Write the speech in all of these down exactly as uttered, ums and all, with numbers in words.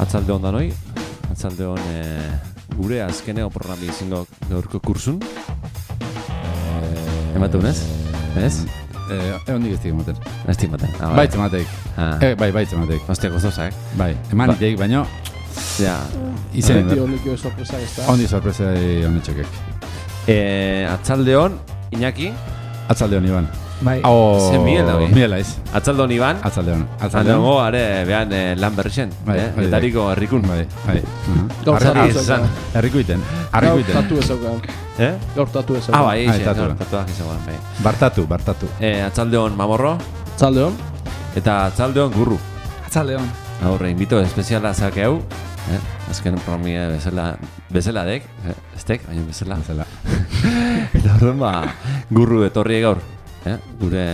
atzalde hon danoi, atzalde hon e, gure azkeneo programi izango gaurko kursun. E, Ematen ez? Ez? Eh, ondik ez ematen. Ez ematen. Ah, baitz ematek. Ah. Eh, bai, baitz ematek. Hostia, gozozak. Bai, eman itek, baino... Ja. Izen, Beti ondikio sorpresa ez da. Ondi sorpresa onditxokek. E, atzalde hon, Iñaki. Atzalde hon, Iban. Bai. Oh, Zen Miguel hori. Miguel aiz. Atzalde hon, Iban. Atzalde hon. Atzalde hon, are, behan eh, lan berrixen. Bai, eh? bai, Etariko herrikun. Bai, bai. Gaur tatu Arri- ezaukan. Herriko iten. Herriko Gaur iten. tatu ezaukan. Eh? Gaur tatu Ah, ezaukan. bai, Ah, eixe, tatu. gaur tatuak izagoan, bai. Bartatu, bartatu. E, atzalde hon, Mamorro. Atzalde hon. Eta atzalde hon, Gurru. Atzalde hon. Aurre, invito espeziala zakeu. Eh? Azken promie bezala, bezala dek, eh? Estek, baina bezala. Zela. Eta horren ba, Gurru etorri gaur. Eh? Gure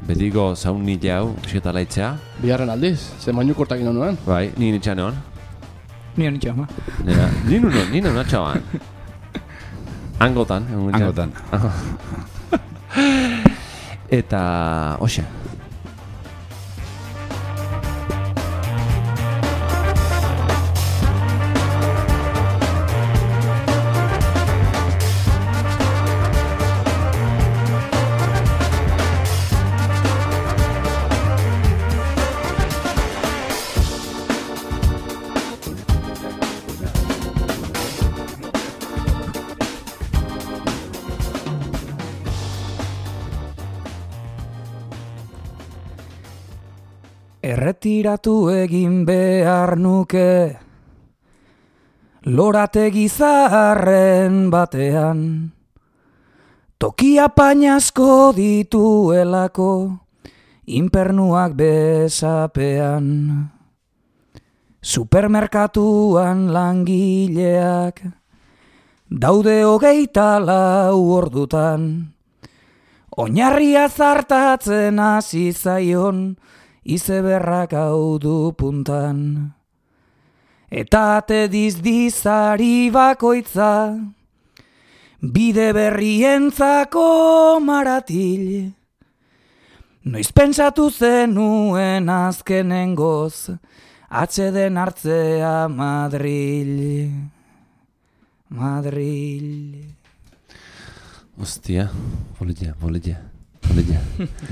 betiko zauni jau, esketa laitzea. Biharren aldiz, ze mainu kortakin honoen. Bai, ni nitxan egon. Ni honi txama. Nera, ni nuno, ni nuno atxaban. Angotan. egun nitxan. Angotan. Eta, hoxe. Erretiratu egin behar nuke lorategi zaharren batean, tokia painasko dituelako inpernuak besapean. Supermerkatuan langileak daude hogeita lau ordutan, oinarria zartatzen hasi zaion izeberrak hau du puntan. Eta ate dizdizari bakoitza, bide berrientzako maratil. Noiz pentsatu zenuen azkenengoz, atxeden hartzea Madril. Madril. Ostia, politia, politia. Politia.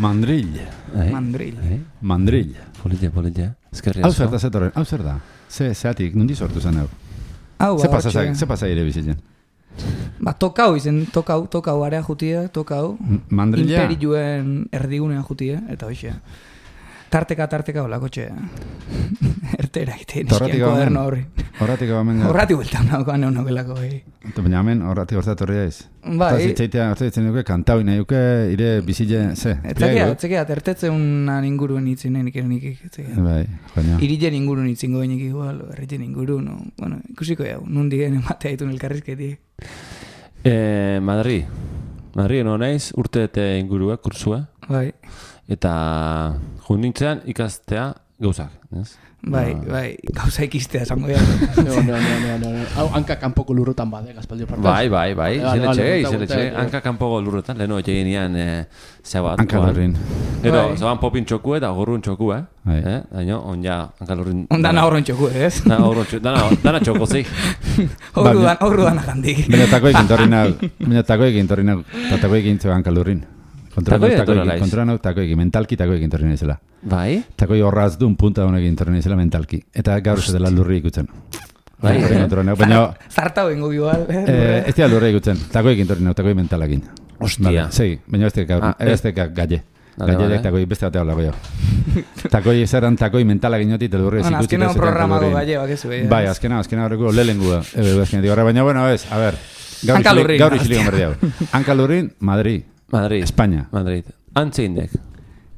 Mandril. Eh? Mandril. Eh? Mandril. Politia, politia. Eskerri Hau asko. zer da zetorren, hau zer da? Ze, zeatik, nundi sortu zen hau? Hau, Ze pasa, hortxe. ze pasa ire bizitzen? Ba, tokau izen, tokau, tokau area jutia, tokau. Mandrila? Imperiluen erdigunean jutia, eta hoxe. Tarteka, tarteka olako txe. Ertera egiten Horratik eskian gamen. koderno horri. Horratik gamen. Horratik bueltan nagoan egon nogelako. Baina hemen horratik hortzat horri aiz. Bai. Eta zitzaitea hortzat ditzen duke, kantau nahi duke, ire bizile, ze? Etzakea, etzakea, tertetzen inguruen itzinen ikerenik. Bai, baina. Irilen ingurun itzingo benik igual, erriten ingurun, no. Bueno, ikusiko jau, nundi gen ematea ditun elkarrizketi. Eh, Madri. Madri, no naiz, urte eta ingurua, kursua. Bai, Eta jundintzean ikastea gauzak, ez? bai, Ba. bai, gauza ikistea esango ja. No, no, no, no, no, no. Hau hanka kanpoko lurrotan bade, gazpaldio partez. Bai, bai, bai, Vale, vale, izeletxe, vale, izeletxe, vale, vale. hanka kanpoko lurretan, leheno egin nian e, zebat. Hanka lurrin. Gero, Bai. zeban popin txoku eta gorrun txoku, eh? Bai. Eh? Daino, on ja, hanka lurrin... Ondana horren txoku, ez? Dana horron txoku, dana, dana txoko, zi. Horru dan, horru dan agandik. Baina takoekin torri nau, baina takoekin torri nau, eta takoekin zeu hanka lurrin. Kontrola Takoekin nau etorri takoekin, naiz. kontrola nau takoekin, mentalki takoekin torri naizela. Bai? Takoi horraz duen punta honekin torri naizela mentalki. Eta gaur ez dela lurri ikutzen. Bai, Takoekin eh? kontrola nau, baina... Zartau ingo igual. Eh, ez dira lurri ikutzen, takoekin torri nau, takoi mentalakin. Ostia. Vale, segi, baina ez dek Ah, eh. ez dek galle. Vale, Galle vale. dek takoi beste batea hola goio. Takoi zeran takoi mentalakin joti, eta lurri ez Bueno, ikutzen. azkenean programago galle, bakezu. Bai, azkena, azkena horreko lehenengua. Ebe, azkenetik horre, baina, bueno, ez, a ver. Gaur Hanka isili- lurrin, Gaur hostia. isilikon berdi hau. Hanka lurrin, Madrid, Madrid. España. Madrid. Antze indek.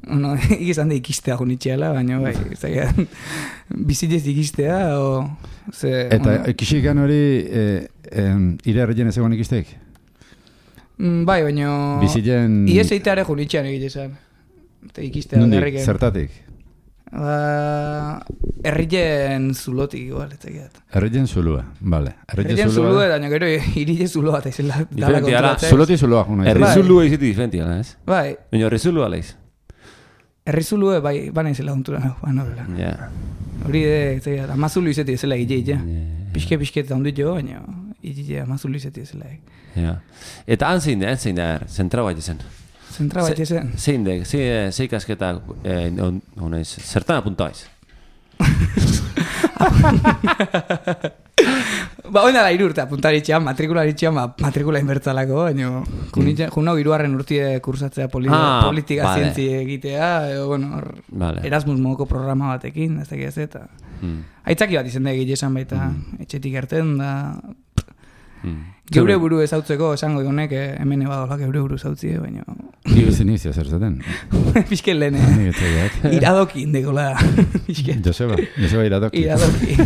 Bueno, ikizan da ikistea junitxeala, baina bai, zagean, bizitez ikistea, o... Ze, Eta bueno, ikisikan hori, eh, em, ire erreien ez egon ikistek? mm, bai, baina... Bizilen... Iez eiteare junitxean egitezan. Eta ikistea Nondik, berriken. zertatik? Ba... Errien zulotik, igual, ez zagiat. Erreien zulua, bale. Errien zulua, baina gero irile zuloa, eta izela dala Diferentia da. kontrolatzen. Zuloti zulua, una. Herri Bai. zulua iziti diferentia, ez? Bai, Baina herri zulua leiz. Errizulue bai, bana izela untura nago, bana bela. Ja. Hori de, zeia, amazulu izeti ezela ige, ige. Piske-piske eta ondit jo, baina ige amazulu izeti ezela. Ja. Eta han zein da, han zein da, zentra bat izan. Zentra bat izan. Zein da, zein kasketak, honez, zertan apuntaiz? Ba, oin dara irurte apuntaritxean, matrikularitxean, matrikula inbertzalako, baina junau iruarren urtie kursatzea poli, ah, politika vale. zientzi egitea, edo, bueno, or, vale. Erasmus modoko programa batekin, ez dakit ez eta. Mm. Aitzaki bat izan da egile esan baita, mm. etxetik erten da. Mm. Geure buru ezautzeko, esango honek hemen ebadola geure buru ezautzi, baina... Gibuz inizio zer zaten. Pisken lehen, iradoki indekola. Joseba, Joseba iradoki. Iradoki.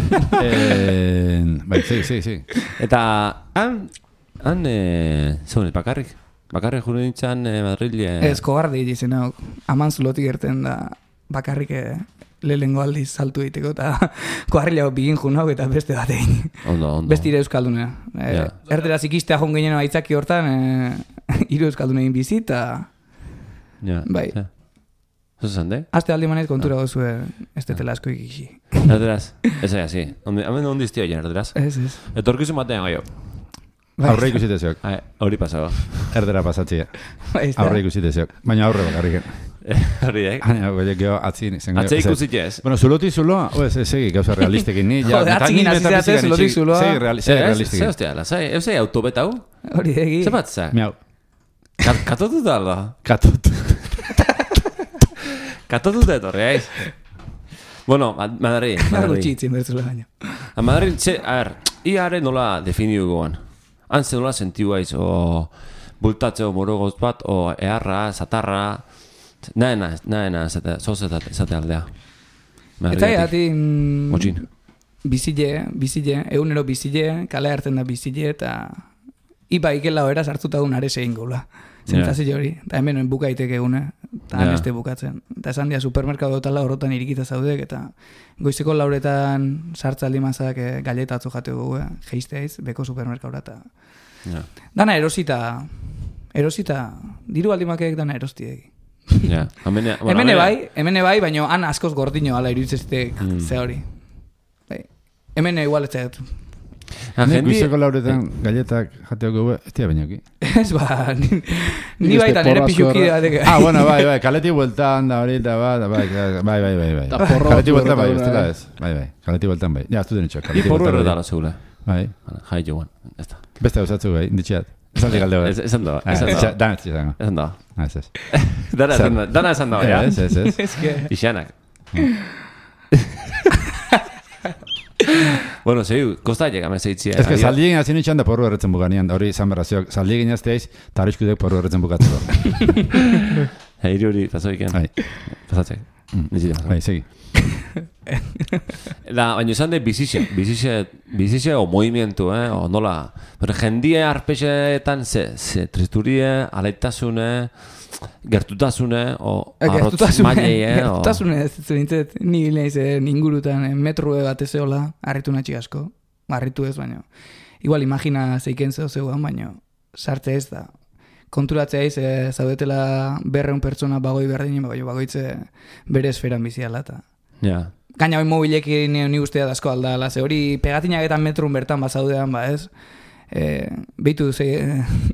Bai, sí, sí, sí. Eta han, han, zaunet, bakarrik? Bakarrik jure nintzen Madrile... Ez, kogarde izan hau, aman zulotik erten da bakarrik lehengo aldiz saltu egiteko, eta koarrilago bigin jun hau eta beste bat egin. Ondo, ondo. Beste ire euskaldunea. E, ja. Erderaz ikistea joan ginen aitzaki hortan, e, iru euskaldune egin bizi, eta... Ja, bai. Ja. Zuzan, de? Azte aldi manez kontura gozu ez detela asko ikixi. Erderaz, ez aia, zi. Hemen ondi iztio jen, erderaz. Ez, ez. Etorkizu batean gaio. Aurre ikusiteziok. Hori pasago. Erdera pasatzia. Aurre ikusiteziok. Baina aurre bakarriken. Hori daik. Baina, goiek geho, atzin. Atzei ikusit ez. Bueno, zulotik zuloa, oez, segi, gauza realistekin. Ni, ja, Jode, atzingin azizeate, zulotik zuloa. Segi realistekin. Ze hostia, lazai, eusei autobeta hau? Hori degi. Ze bat za? Miau. Katotu da alda? Katotu. Katotu da etorri, aiz. Bueno, Madrid. Margo txitzin bertzula baina. Madrid, txe, a ver, iare nola definiu goan. Hantze nola sentiu aiz, o bultatzeo morogoz bat, o eharra, zatarra, naena, naena, zate aldea. Eta ati, Motxin. bizile, bizile, egunero bizile, kale hartzen da bizile, eta iba ikela hoera sartuta un are zein gola. Zentzazio hori, eta hemen buka iteke egune, eta yeah. Beste bukatzen. Eta esan dia supermerkadotala horretan irikita zaudek, eta goizeko lauretan sartzaldi mazak e, galeta atzo jateko gu, geizteaiz, beko supermerkaura, eta yeah. Dana erosita, erosita, diru aldimakeek dana erostiek. Ja, amene, bueno, hemene bai, hemene bai, baina han askoz gordino ala iruditzeztek mm. Ze hori. Bai. Hemene igual ez zaitu. Nik goizeko lauretan galletak jateoko gu, ez tia bainoki. Ez ba, ni, ni baita nire pixuki da. Ah, bueno, bai, bai, kaleti bueltan da hori, eta bai, bai, bai, bai, bai, bai. Kaleti bueltan bai, ez dela ez. Bai, bai, kaleti bueltan bai. Ja, ez duten itxoak. Ni porro erretala zegoela. Bai. Jai joan, ez da. Beste hausatzu bai, inditxiat. Esan di galde bai. Esan da, esan da. Dana ez izango. Esan da. Ez ez. Dana esan da, ja? Ez, ez, ez. Ixanak. Bueno, sei, kosta llega, me seitzia. Ez que saldi egin azien itxan da porru erretzen buganean, hori zan berrazioak, saldi egin azteaiz, eta hori eskudek porru erretzen bukatzeko. Hiri hori, pasoiken. Bai. Pasatzek. Bai, segi. Da, baina esan de bizixe, bizixe, bizixe o movimientu, eh, o nola. Pero jendie arpexetan ze, ze tristurie, alaitasune, gertutasune, o arrotz mailei, eh. Gertutasune, ez zintzet, ni nahiz ingurutan, metrue bat ezeola, harritu natxik asko, harritu ez, baina. Igual imagina zeiken zeo zeuan, baina sartze ez da. Konturatzea iz, e, zaudetela berreun pertsona bagoi berdinen, bago bagoitze bere esferan biziala eta. Ja. Gaina hori mobilekin ni ustea dazko aldala, ze hori pegatinak eta metrun bertan bazaudean, ba ez, e, bitu, ze,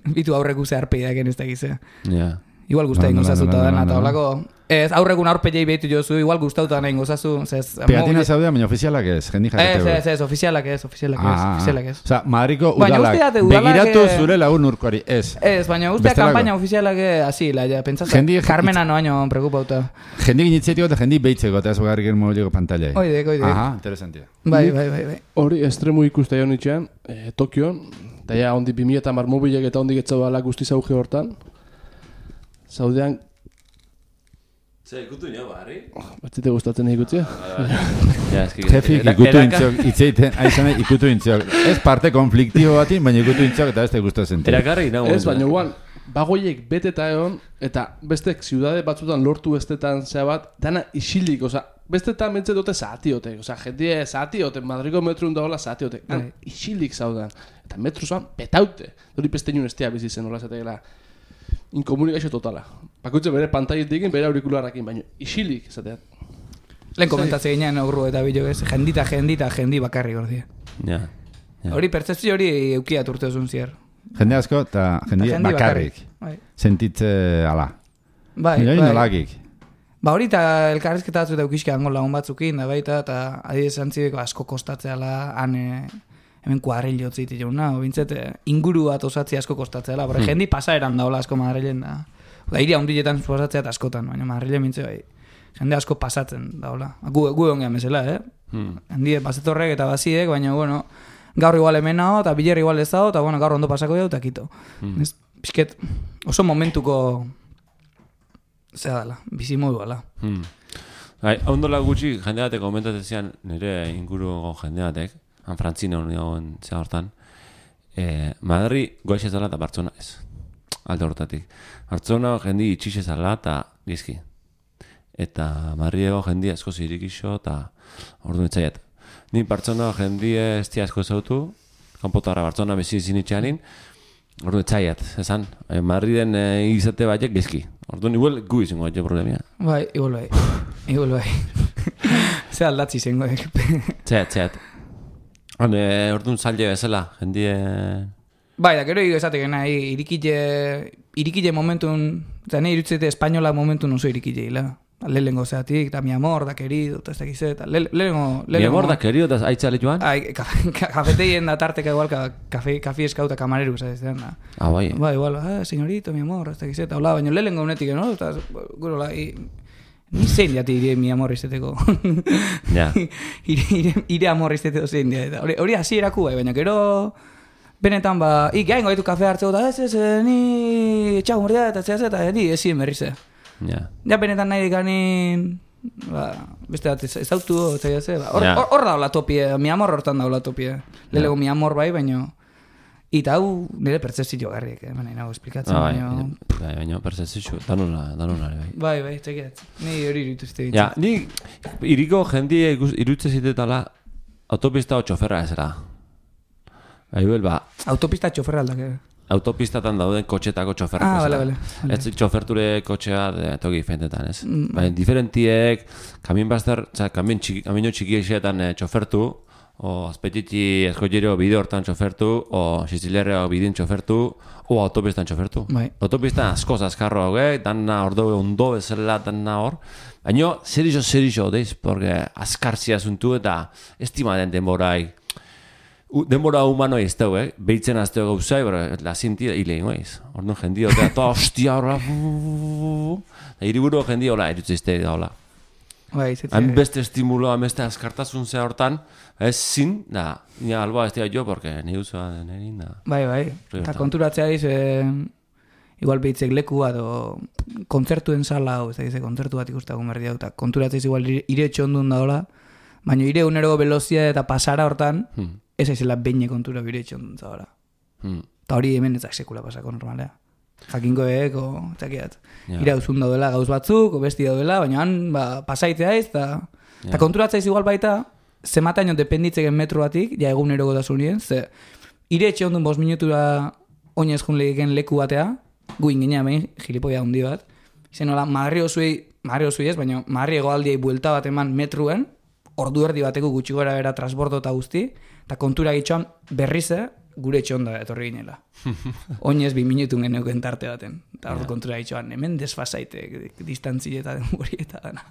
bitu aurreku ze arpeidak ez dakize. Ja. Igual guztain gozazuta dana, eta holako, ez, aurrekun aurpeiei behitu jozu, igual guztauta nahi gozazu. Pegatina zaudean, baina ofizialak ez, jendi jakete. Ez, ez, ez, ofizialak ez, ofizialak ez, ofizialak ez. Osa, Madriko udalak, begiratu zure lagun urkoari, ez. Ez, baina ustea kampaina ofizialak asila, ja, pentsazta, Carmena no baino preocupauta. Jendi ginitzetiko eta jendi behitzeko, eta ez bagarrik el mobileko pantalla. Oidek, oidek. Aha, interesantia. Bai, bai, bai, bai. Hori, estremu ikuste joan itxean, Tokion, eta ja, ondi bi mila eta mar mobilek eta ondik etzau ala guztiz auge hortan. Zaudean... Zer, ikutu nio, barri? Batzite gustatzen ikutzea? Jefik ikutu intziok, itzeiten, aizan ikutu intziok. Ez parte konfliktibo batin, baina ikutu intziok eta ez te gustatzen. Erakarri, nago. Ez, baina guan, bagoiek beteta egon, eta bestek ziudade batzutan lortu bestetan zea bat, dana isilik, oza, bestetan mentze dute zahatiotek, oza, jentie zahatiotek, Madriko metrun dagoela zahatiotek, dana isilik zaudan. Eta metru zaudan, betaute. Dori peste niun estea bizitzen, hola zategela. inkomunikazio totala. Bakoitze bere pantailetik bere aurikularrakin, baina isilik esateat. Lehen komentatzea ginean aurru eta bilo ez, jendita, jendita, jendi bakarri gordi. Ja. Hori, pertzepzio hori eukiat urte duzun zier. Jende asko eta jendi bakarrik. Sentitze ala. Bai, bai. Nolakik. Ba hori eta elkarrizketa batzu eta eukizke hango lagun batzukin, da baita, eta adibidez antzideko asko kostatzeala, han hemen kuadrilo tziti jauna, bintzet, inguru bat osatzea asko kostatzeala, bora, hmm. jendi pasaeran daola asko Madrilen da. Da, iria hundiletan pasatzea eta askotan, baina Madrilen bintze bai. Jende asko pasatzen daola. Gu, gu ongean bezala, eh? Hmm. Hendi bazetorrek eta baziek, baina, bueno, gaur igual hemen hau, eta biler igual ez hau, eta bueno, gaur ondo pasako jau, eta kito. Hmm. Ez, pixket, oso momentuko zera dela, bizimodu dela. Hmm. Bai, ondola gutxi jende batek komentatzen nire inguruko jende batek, han Frantzina union zea hortan, eh, Madri goixe zala eta Bartzona ez. Alde hortatik. Bartzona jendi itxixe zala eta gizki. Eta Madriego jendi asko zirikixo eta ordu netzaiat. Ni Bartzona jendi ez tia asko zautu, kanpotara Bartzona bezi zinitxanin, ordu netzaiat, esan, eh, Madriden eh, izate baiek gizki. Ordu igual gu izango batxe problemia. Bai, igual bai. Igual bai. Ze aldatzi izango. Txeat, txeat. Orduan zaila bezala, jendie... Bai, da, gero esatek nahi, irikile, irikile momentun, eta nahi irutzete espainola momentun oso irikile hila. Lehengo zeatik, eta mi amor, da querido, eta ez dakiz, eta lehengo... Mi amor, da querido, eta aitzale joan? Ai, kafeteien da tarteka igual, kafe eskauta kamareru, ez da. Ah, bai. Bai, igual, ah, señorito, mi amor, ez dakiz, eta hola, baina lehengo unetik, no? Eta, gero, la, ni zein diati ire mi amor izateko. Ja. Ire amor izateko zein diat. Hori hasi eraku bai, baina gero... Benetan ba, ik gaingo gaitu kafe hartzeko, eta ez ez, ni etxago mordea, eta ez ez, eta ni ezien berrize. Ja. Ja, benetan nahi dikanin, ba, beste bat ez autu, eta ez ez, hor yeah. daula topie, mi amor hortan daula topie. Lelego yeah. mi amor bai, baina... Eta hau nire pertzepzio garriek, eh, baina nago esplikatzen, ah, baina... Bai, baina pertzepzio, danuna, danuna, bai. Bai, bai, txekiat, ni hori irituzte ditzen. Ja, ni iriko jendie irutze zitetala autopista o txoferra ezera. Bai, ba... Autopista txoferra aldak, eh? Autopistatan dauden kotxetako txoferrak. Ah, bale, bale. Ez txoferture kotxea toki fentetan, ez? Mm. Baina diferentiek, kamin bazter, kamin txiki esetan txofertu, o azpetiti eskollero bide hortan txofertu, o Siciliarreo bidin txofertu, o autopistan txofertu. Bai. Autopistan askoz azkarro hauek, danna ordo ondo bezala danna hor. Baina, zer iso, zer iso, deiz, porque azkarzia zuntu eta estima den denborai. Denbora humano ez dugu, eh? Behitzen azteo gauzai, bera, la zinti hile ingoiz. Orduan jendio, eta toa hostia horra, hiriburu jendio hola, erutzizte hola. Bai, zetzea. Han beste estimuloa, beste azkartasun zea hortan, ez zin, da, nina alboa ez dira jo, porque ni uzoa denerin, da. Bai, bai, eta konturatzea diz, eh, igual behitzek leku bat, o kontzertuen sala, o ez da, kontzertu bat ikustagun berdi hau, eta konturatzea diz, igual ire txondun da hola, baina ire unero velozia eta pasara hortan, hmm. ez aizela beine kontura bire txondun zahora. Hmm. Ta hori hemen ezak sekula pasako normalea. Jakinko eko, txakiat, yeah. ira uzun daudela gauz batzuk, o besti daudela, baina han ba, pasaitea ez, eta yeah. konturatzea iz igual baita, zemataino dependitzeken metro batik, ja egunero gotasunien, ze ire txondun bost minutura oinez jun legeken leku batea, gu ingenia behin, gilipoia hundi bat, izen hola, Madri osuei, Madri osuei ez, baina Madri egoaldiei buelta bat eman metruen, ordu erdi bateko gutxi gora bera transbordo eta guzti, eta kontura gitxoan berrize gure txonda etorri ginela. Oinez bi minutun geneuken tarte baten. Eta hor yeah. kontura gitxoan, hemen desfasaite, distantzi eta denbori eta dana.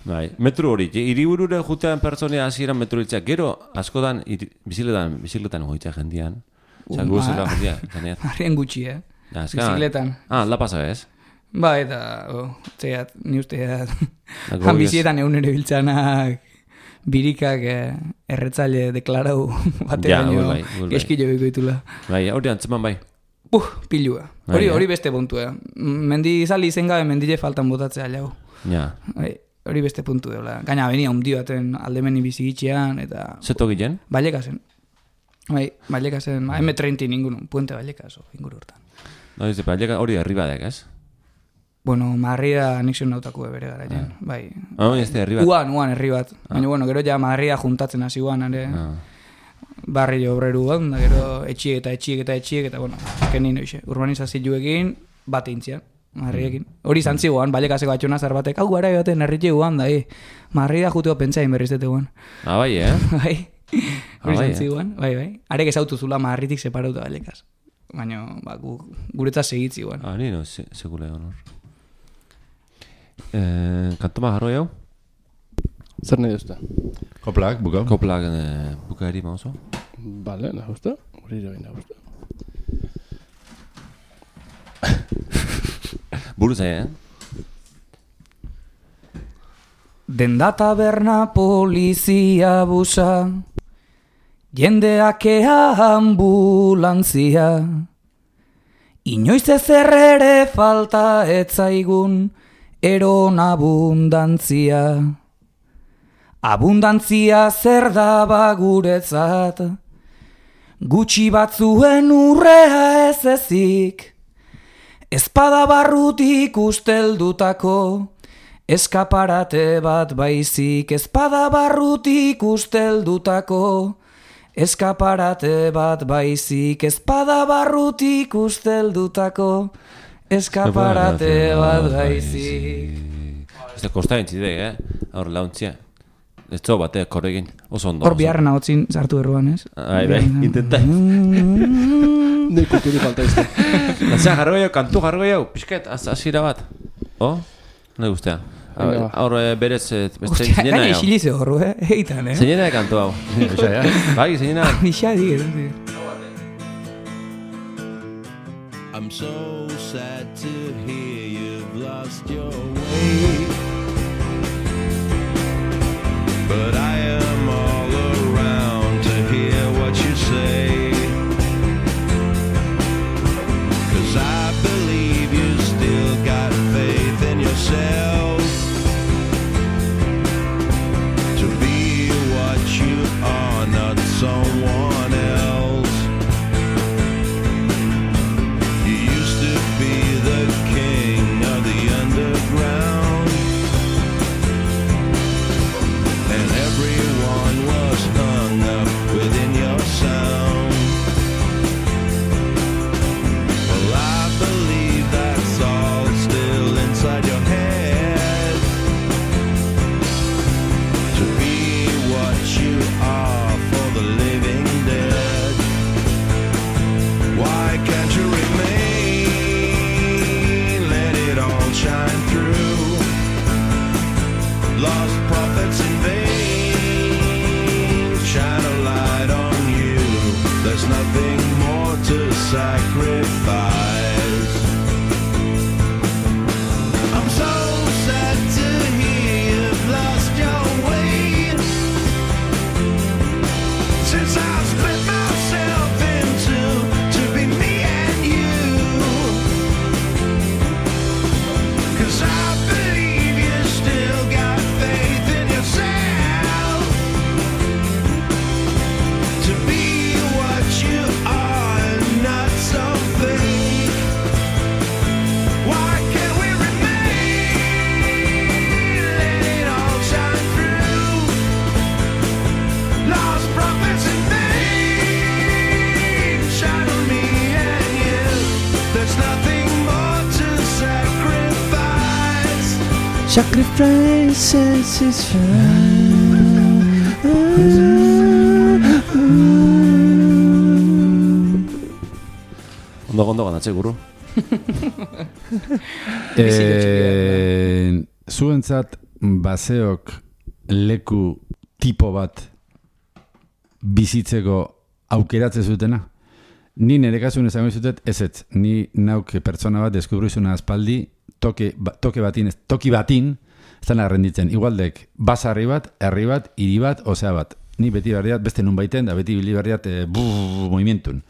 Bai, metro hori, hiriburure jutean pertsonia hasieran metro hiltzeak, gero askotan bizikletan, bizikletan goitzea jendian. Osa, gu zela jendian. Harrien gutxi, eh? Ja, bizikletan. Ah, la pasa, ez? Ba, eta, oh, txeat, ni usteat, han bizietan egun ere biltzanak, birikak eh, erretzaile deklarau batean ja, bai, eskilo bikoitula. Bai, hori antzeman bai. Uh, pilua. Hori hori beste puntu, eh. Mendi izali izen gabe mendile faltan botatzea jau. Ja. Bai, hori beste puntu deula. Gaina, benia hundi baten aldemeni bizigitxean, eta... Zeto gillen? Ballekasen. Bai, Ballekasen, eme treinta ningun, puente Ballekas, ingur hortan. No, dice, Balleka hori herribadek, ez? Bueno, Marria anexio nautakue bere gara, ah. bai. Ah, ez da, herri bat? Uan, uan, herri bat. Ah. Baina, bueno, gero ja Marria juntatzen hasi guan, ere. Ah. Barri obreru bat, da gero etxiek eta etxiek eta etxiek, eta, bueno, kenin oixe. Urbanizazioekin, bat intzian, marriekin. Hori izan ziguan, balekaseko atxona zar batek, hau gara joaten herritxe guan da, eh. Marri da juteo pentsain berriz dute guan. Ah, bai, eh? Bai, hori izan ziguan, bai, bai. Arek ezautu zula marritik separauta balekas. Baina, ba, gu, guretzat segitzi guan. Ah, nino, se, segule honor. Eh, kantoma jarroi hau? Zer nahi duzta? Koplak, buka. Koplak eh, buka eri mauzo. Bale, nahi duzta? Hori ere baina duzta. Buru zai, eh? Denda taberna polizia busa, jendeak ea ambulantzia, inoiz ezer ere falta etzaigun eron abundantzia. Abundantzia zer da baguretzat, gutxi batzuen urrea ez ezik, ezpada barrutik usteldutako, eskaparate bat baizik, ezpada barrutik usteldutako, eskaparate bat baizik, ezpada barrutik usteldutako, eskaparate bat baizik. Ez da kosta entzidek, eh? Hor launtzia. Ez zo bate, korregin, oso ondo. Hor biharren ahotzin sartu erruan, ez? Bai, bai, intentai. Nei kulturi falta izte. Lantzea jarro gehiago, kantu jarro gehiago, pixket, azira bat. Oh? Nahi guztea. Hor berez, beste zinena hau. Gaina isilize horru, eh? Eitan, eh? Zinena de kantu hau. Bai, zinena. Nixia digetan, I'm so sad to hear you've lost your way, but I am all around to hear what you say, 'cause I believe you still got faith in yourself to be what you are, not someone else. You used to be the king of the underground, and everyone was hung up within your sound. Well, I believe that's all still inside your head, to be what you are for the living dead. Why can't you remain? Let it all shine through. Lost prophets in vain, shine a light on you. There's nothing more to sacrifice. I'm so sad to hear you've lost your way, since I've split myself in two to be me and you, 'cause I believe you still got faith in yourself to be what you are, not so fake. Why can't we remain? Let it all shine through. Lost prophets in vain, shine on me and you. There's nothing more to sacrifice. Sacrifices is Ondo, ondo, ganatze guru. Eh, zuentzat baseok leku tipo bat bizitzeko aukeratze zutena? Ni nire kasun esango izutet, ez ez, ni nauk pertsona bat deskubrizuna aspaldi, toke, ba, toke batin, toki batin, ez da renditzen. Igualdek, basarri bat, herri bat, hiri bat, osea bat. Ni beti berriat, beste nun baiten, da beti bili berriat, e, buh, movimientun.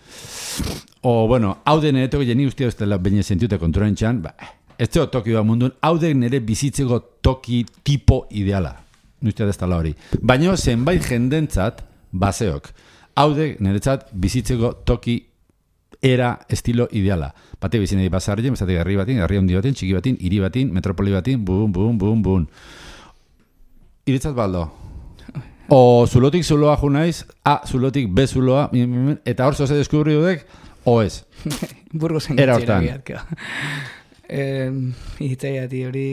O, bueno, hau den ere toki jeni ustia ez dela baina sentiute kontrolen txan, ba, ez zeo toki bat mundun, hau den nire bizitzeko toki tipo ideala. Ustia ez dela hori. Baina zenbait jendentzat, baseok. Hau den niretzat bizitzeko toki era estilo ideala. Bate bizinei basarrien, bezatik herri batin, herri handi batin, txiki batin, hiri batin, metropoli batin, bum, bum, bum, bum. Iretzat baldo. O zulotik zuloa ju naiz, A zulotik B zuloa, eta hor zoze deskubri dudek, O ez? Burgosen Era gitxera hortan. biatka. Eh, Itzaiati hori...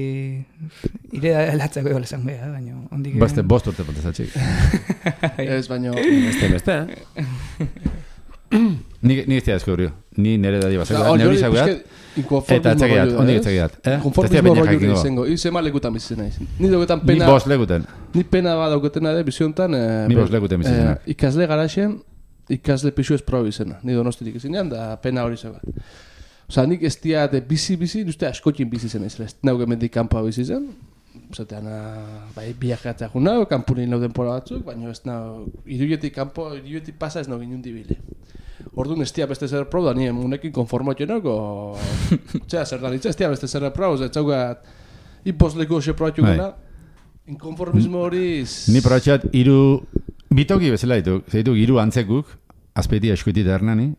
Ire latzako egola esan beha, baina... ondik... Baste, bost urte potezatxik. Ez, baino... Beste, beste, eh? Ni ni ez da deskubriu. Ni nere dadi basela. Hori Neuri hori zaguat. pixke inkonformismo Eta etzakiat, rollo, ondik ez? etzakiat. Eh? Konformismo Baina rollo jakingo. izango. Iz ema lekutan bizitzen naiz. Ni dauketan Ni pena... bost lekuten. Ni pena bat dauketena ere, biziontan... Eh, Ni be- bost lekuten bizitzen. eh, Ikasle garaxen, ikasle pixu ez proba izena. Ni donostirik izinean, da pena hori zegoat. Osa, nik ez diat bizi-bizi, uste askotin bizi zen ez. Nauke mendik kanpoa bizi zen. Zatean, bai, biajatzea jun nau, kanpunin lau denpora batzuk, baina ez nau, iruietik kanpo, iruietik pasa ez nau ginen dibile. Orduan ez tia beste zer proba, da nien unekin konformatxenok, o... Txea, zer da nitza, ez tia beste zer proba, ez txaugat, ipozleko xe probatxu Bai. gana, inkonformismo hori... Ni probatxat iru bitoki bezala ditu. Zeitu hiru antzekuk, azpeiti eskuiti da hernani,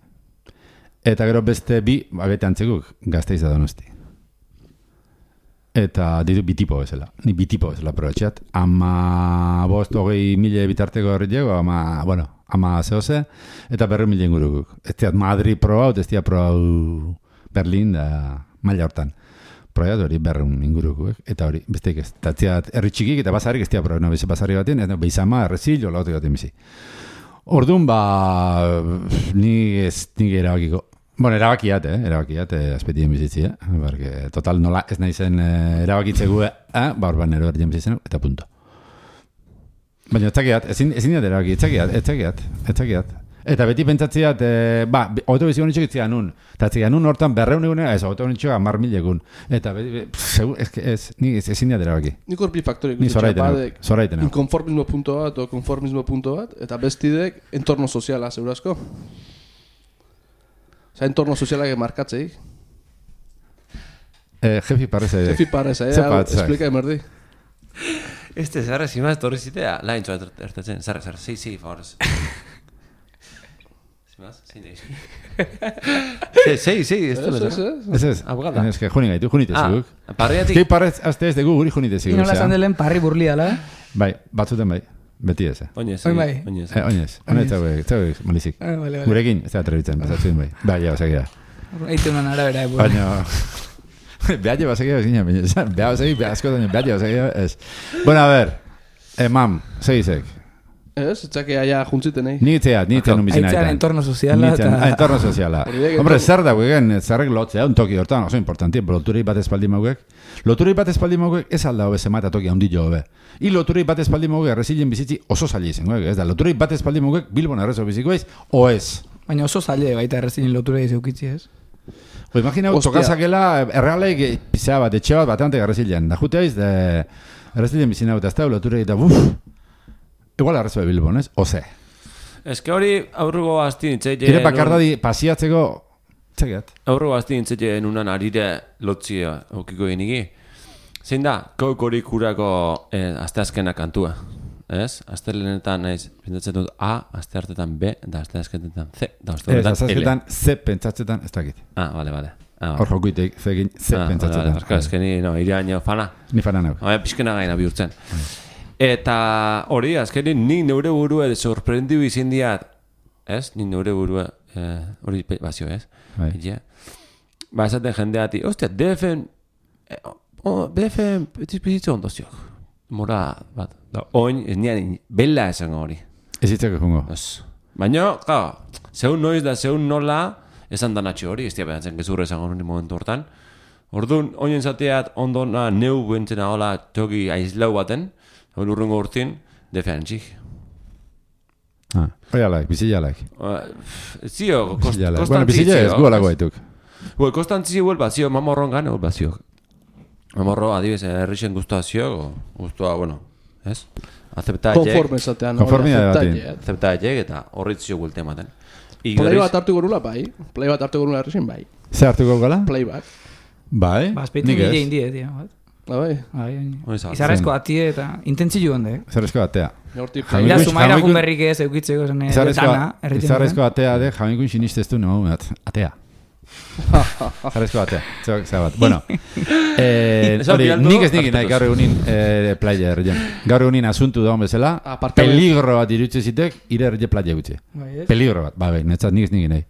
eta gero beste bi, abete antzekuk, Gasteiz da Donosti. Eta ditu bitipo bezala. Ni bitipo bezala probatxat. Ama bost hogei mila bitarteko horretiago, ama, bueno, ama zehose, eta berre mila ingurukuk. Ez diat Madrid proba, ez diat proba Berlin da maila hortan. Proiat hori berreun ingurukuk, eta hori, besteik ez. Eta ziat, herri txikik eta basarik ez diat proba, no, beze basari baten, eta beizama, errezil, jola batek baten bizi. Orduan, ba, ni ez, ni erabakiko. Bueno, erabakiat, eh? Erabakiat, eh, azpetien bizitzi, eh? Barke, total, nola ez nahi zen eh, erabakitze gu, eh? Ba, orban ero erdien bizitzen, eta punto. Baina, etzakiat, ezin, ezin diat erabaki, etzakiat, etzakiat, etzakiat. Eta beti pentsatziat, eh, ba, hogeto biziko nitxok itzian nun. Eta itzian nun hortan berreun egunea, ez, hogeto nitxok amar mil egun. Eta beti, be, segu, ez, ez, ni ez, ezin diat erabaki. Nik hor bi faktorik. Ni zoraiten hau, zoraiten hau. Inkonformismo punto bat, o konformismo punto bat, eta bestidek entorno soziala, segurazko. Osa, entorno sozialak markatzeik. Eh, jefi parreza Jefi parreza, eh? Zepat, zak. Explika emerdi. Este, zarra, zimaz, torri zitea, lain txoa ertatzen, zarra, zarra, sei, sei, favorez. Zimaz, zein deiz. Sei, sei, ez Ez, dela, ez, zarra. ez. Ez ez, Abogada. ez que juni gaitu, junite ziguk. Ah, parriatik, Ski parrez, azte ez dugu guri junite ziguk. Inola esan delen parri burli dala. Bai, batzuten bai, beti ez, eh. oinez, Oin bai. oinez. Eh, oinez, oinez, zauek, zauek, malizik. Ah, vale, vale. Gurekin, ez da atrebitzen, pasatzen bai. Bai, ja, basakia. Eite unan arabera, eh, burli. Baina, behar ja basakia bezina, baina, behar basakia, behar asko, behar ja basakia, ez. Bueno, a ver, eh, mam, segizek. Ez, etzake aia juntziten, eh? Ni itzeat, ni itzeat nun bizina Aitzean entorno soziala Nintzen, eta... ah, entorno soziala. Hori da, Hombre, entorno- zer da guegen, zerrek lotzea, un toki hortan, oso importanti, loturei bat espaldi mauek. Loturei bat espaldi mauek ez alda hobe zemata toki handi jo hobe. I loturei bat espaldi mauek errezilen bizitzi oso zaila izango, ez da, loturei bat espaldi mauek Bilbon errezo biziko ez, o ez. Baina oso zaile baita errezinen lotura izeukitzi ez. Pues imagina, Hostia. tokazakela errealeik pizea bat, etxe bat, batante errezilen. Da jute aiz, de errezilen bizina bat, ez da, loturei da, buf, igual errezo de Bilbon, ez, oze. Ez que hori aurrugo asti nintzeie... Ire bakardadi pasiatzeko, txekiat. Aurrugo asti nintzeie nunan arire lotzia aukiko geniki. Zein da, kokorik urako eh, aste azkena kantua. Ez? Aste lehenetan naiz, pentsatzen dut A, aste hartetan B, da aste azkenetan C, da aste Ez, horretan L. azazketan, ze pentsatzetan, ez dakit. Ah, bale, bale. Ah, Hor jokuitek, zegin, ze ah, pentsatzetan. Vale, vale. Ez que ni, no, iraino fana. Ni fanan hau. Hau, pixkena gaina bihurtzen. Eta hori, azkenin, nik neure burua sorprendiu izin diat, ez? Nik neure burua, eh, hori pe- bazio, ez? Bai. Ja. Ba, esaten jendeati, ostia, D F-en, eh, oh, D F-en bizitza ondoziok. Mora, bat, da, oin, ez nian, bella esango hori. Ez hitzeko jungo. Ez. Baina, claro, zeun noiz da, zeun nola, esan danatxo hori, ez dia behatzen gezurra esango hori momentu hortan. Orduan, oinen zateat, ondona, neu bentzena hola, toki aizlau baten, hori urrungo urtin, defentsik. Ah, hori alaik, bizila alaik. Zio, kost, Bizila alaik. Bueno, bizila ez gu alako baituk. Ue, kostantzi huel bazio, mamorron gane huel bazio. Mamorro, adibes, errixen guztua zio, guztua, bueno, ez? Azeptaetxek, Konforme esatean. Konformidade batin. azeptaetxek, eta horritzio guelte ematen. Play bat hartu gorula, bai. Play bat hartu gorula errexin, bai. Ze hartuko gala? Play bat. Bai, Ba, azpeitu nik nire ez. indie, tio. bat. Ah, bai. Bai, Hori zabaltzen. izarrezko atie eta intentzio honde. Izarrezko batea. Hortik Jamiko- Ira, play. sumaira jamiko- jun berrik ez eukitzeko zen eh, Izarrezko, dana, erriten izarrezko atea de, jaminkun sinisteztu nemagumeat. Atea. Izarrezko atea. Zebak, zebat. Bueno, eh, Eso hori, pilatu, nik ez nik nahi hartuko gaur egunin eh, playa erreien. Gaur egunin asuntu daun bezala, Apartamentu. peligro bat irutze zitek, ire erre playa gutxi. Bai, ez? Peligro bat, ba, bai, netzat nik ez nik nahi.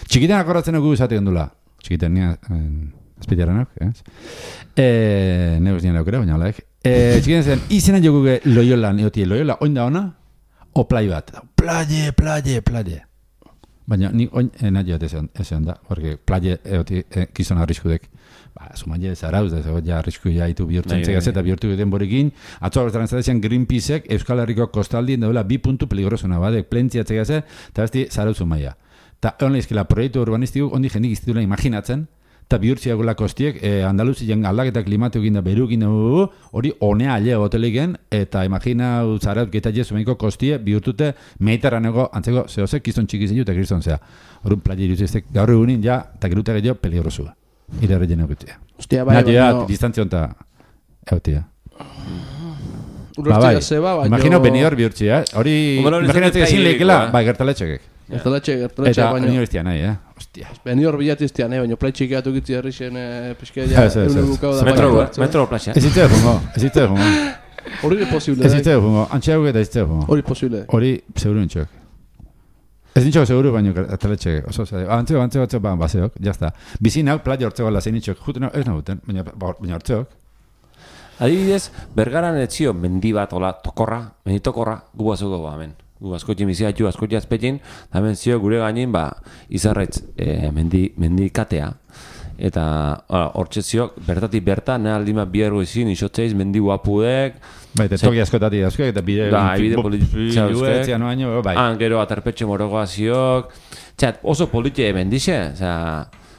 Txikiten akorratzen dugu izatik ondula. Txikiten nia, azpitiaranak, ez? Eh, Negoz nien laukera, baina olaek. Eh, txikiten zen, izena jokuke Loyolan, eotie, Loyola, oin da ona, o plai bat. Plaie, plaie, plaie. Baina, ni oin, eh, nahi joat eze onda, porque plaie, eotie, eh, kizona arriskudek. Ba, sumaile zarauz, ez ja arrisku jaitu bihurtzen zegaz eta bihurtu egiten borekin. Atzo horretan zatezian Greenpeaceek Euskal Herriko kostaldien daula bi puntu peligrosuna, badek, plentziatzea gaze, eta besti zarauz sumaia. Ta hon lehizkela proiektu urbanistikuk ondi jendik iztidula imaginatzen, eta bihurtziagula kostiek, eh, Andaluzien aldaketa klimatu egin da, beru egin da, hori honea alea hoteligen, eta imagina zarauz geta jesumeniko kostie bihurtute mediterraneko antzeko zehozek kizton txikizien eta kriston zea. Horun playa iruziztek gaur egunin ja, eta gerute gehiago peligrosua. Irarre jena egutia. Ostia, bai, baina... baina... distantzia onta egutia. Urostia zeba, baina... Imagino benidor bihurtzia, eh? Hori... Imaginatzen ezin lehikela, bai, gertaletxekek. Gertaletxe, gertaletxe, baina... Eta benidor iztia nahi, eh? Ostia. Benidor bilati iztia nahi, baina plaitxik atu gitzi herrixen pizkea egun bukau da... Metro plaxa. Ez itzea fungo, ez itzea fungo. Hori posible, Ez itzea fungo, antxeago eta ez itzea fungo. Hori posible. Hori seguru nintxok. Ez nintxok seguru, baina gertaletxekek. Oso, antzeo, antzeo, antzeo, ba, baseok, jazta. Bizin hau, playa hortzeko ala zein nintxok, juten hau, ez nahuten, baina hortzeok. Adibidez, Bergaran etzio mendi bat, ola, tokorra, mendi tokorra, gu bazuko ba, hemen. Gu asko jimizia, asko jazpetin, hemen zio gure gainin, ba, izarretz e, mendi, mendi katea. Eta, hortxe zio, bertatik berta, nahi aldima biergo izin, isotzeiz, mendi guapudek. Bai, eta toki askotati askoek, eta bide... Da, bide polititza uztek. Bai. Han, gero, atarpetxe morogoa ziok. Txat, oso politie mendixe, oza...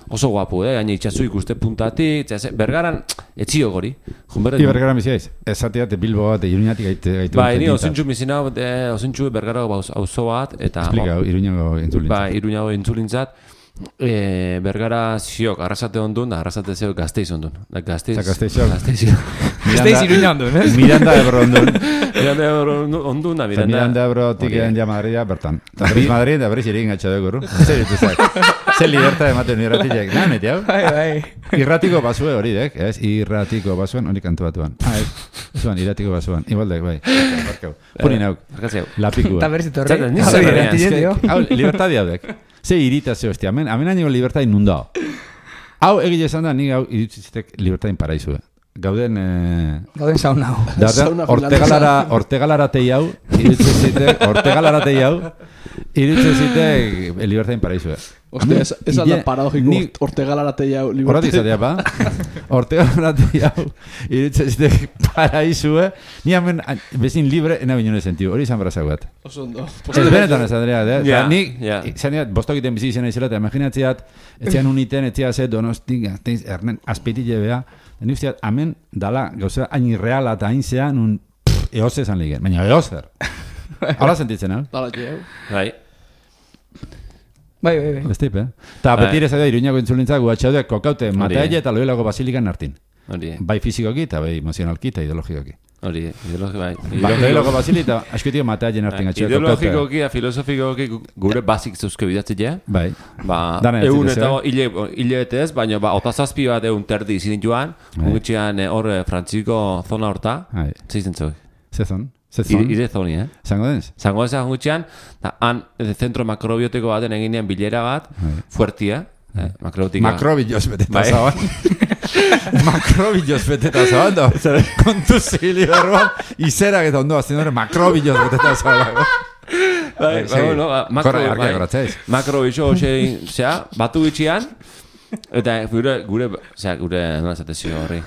Oso guapu, eh? Gaina itxasu ikuste puntatik, txase, Bergaran, etxio gori. Ia Bergaran biziaiz, ez zateat Bilbo bat, Iruñatik gaitu. Ba, ini osintxu mizina, osintxu Bergarago auzo bat, eta... Explika, Iruñago intzulintzat. Ba, Iruñago intzulintzat. E, Bergara ziok, arrasate ondun, da arrasate zeo gazteiz ondun. Da, gazteiz... Gazteizok. Gazteizok. Gazteiz Iruña ondun, eh? Miranda Ebro ondun. Miranda Ebro ondun, da, Miranda... Miranda Ebro tikeen ja Madrida, bertan. Eta berriz Madrid, da berriz irin gatxa dugu, zer dituzak. Zer libertad ematen irratiak. Nahan, eti hau? Bai, bai. Irratiko basue hori, dek, ez? Irratiko basuen, hori kantu batuan. Ah, ez. Zuan, irratiko basuan. Igualdek, bai. Punin hau. Lapikua. Eta berriz itorri. Hau, libertadi hau, dek. Ze iritazio, hostia, amen, amen año libertad inundao. Hau, egile esan da, nik hau iritzizitek libertad inparaizue. Gauden... Eh... Gauden sauna hau. Gauden ortegalara, ortegalara tei hau, iritzizitek, ortegalara tei hau, iritzizitek libertad inparaizue. Hostia, ez, ez alda paradojiko ni... ortegalara tei hau. Horrat izatea, pa? Ortegalara tei hau, iritzizitek paraizue, ni hamen, bezin libre, ena binone sentiu, hori izan brazagoat. Oso ondo. Ez benetan ez adrea, eh? Ja, ni, ja. Zaneat, bostokiten bizi izena izela, eta imaginatziat, etzian uniten, etzia ze, donostik, azteiz, ernen, azpetile beha, ni usteat, amen, dala, gauza, hain irreala eta hain zean, un, eoze esan ligen, baina eozer. Hala sentitzen, hau? Dala, txeu. Bai. Bai, bai, bai. Bestip, eh? Ta beti ere zaila, Iruñako intzulintzak, guatxaudeak kokaute, mataile eta Loiolako basilikan hartin. Hori. Bai fizikoki eta bai emozionalki eta ideologikoki. Hori, ideologiko, bai. Bai, Loiolako basilita, askutio mataile hartin gatxoak kokaute. Ideologikoki, filosofikoki, gure bazik zeuzke bidatzea. Bai. Ba, egun eta hile bete ez, baina ba, otazazpi bat egun terdi izin joan, ungitxean hor Frantziko zona horta, zeitzen zoi. Zezon? Ire zoni, eh? Zango denz? Zango denz agutxean, han zentro makrobiotiko baten eginean bilera bat, fuertia, eh? Makrobiotika. Makrobios beteta zaban. Makrobios beteta zaban, da? Kontu zili berroan, izerak eta ondo azten dure, makrobios beteta zaban. Bai, bueno, makrobio, zea, batu bitxian, eta gure, gure, zera, gure, nola zatezio horri,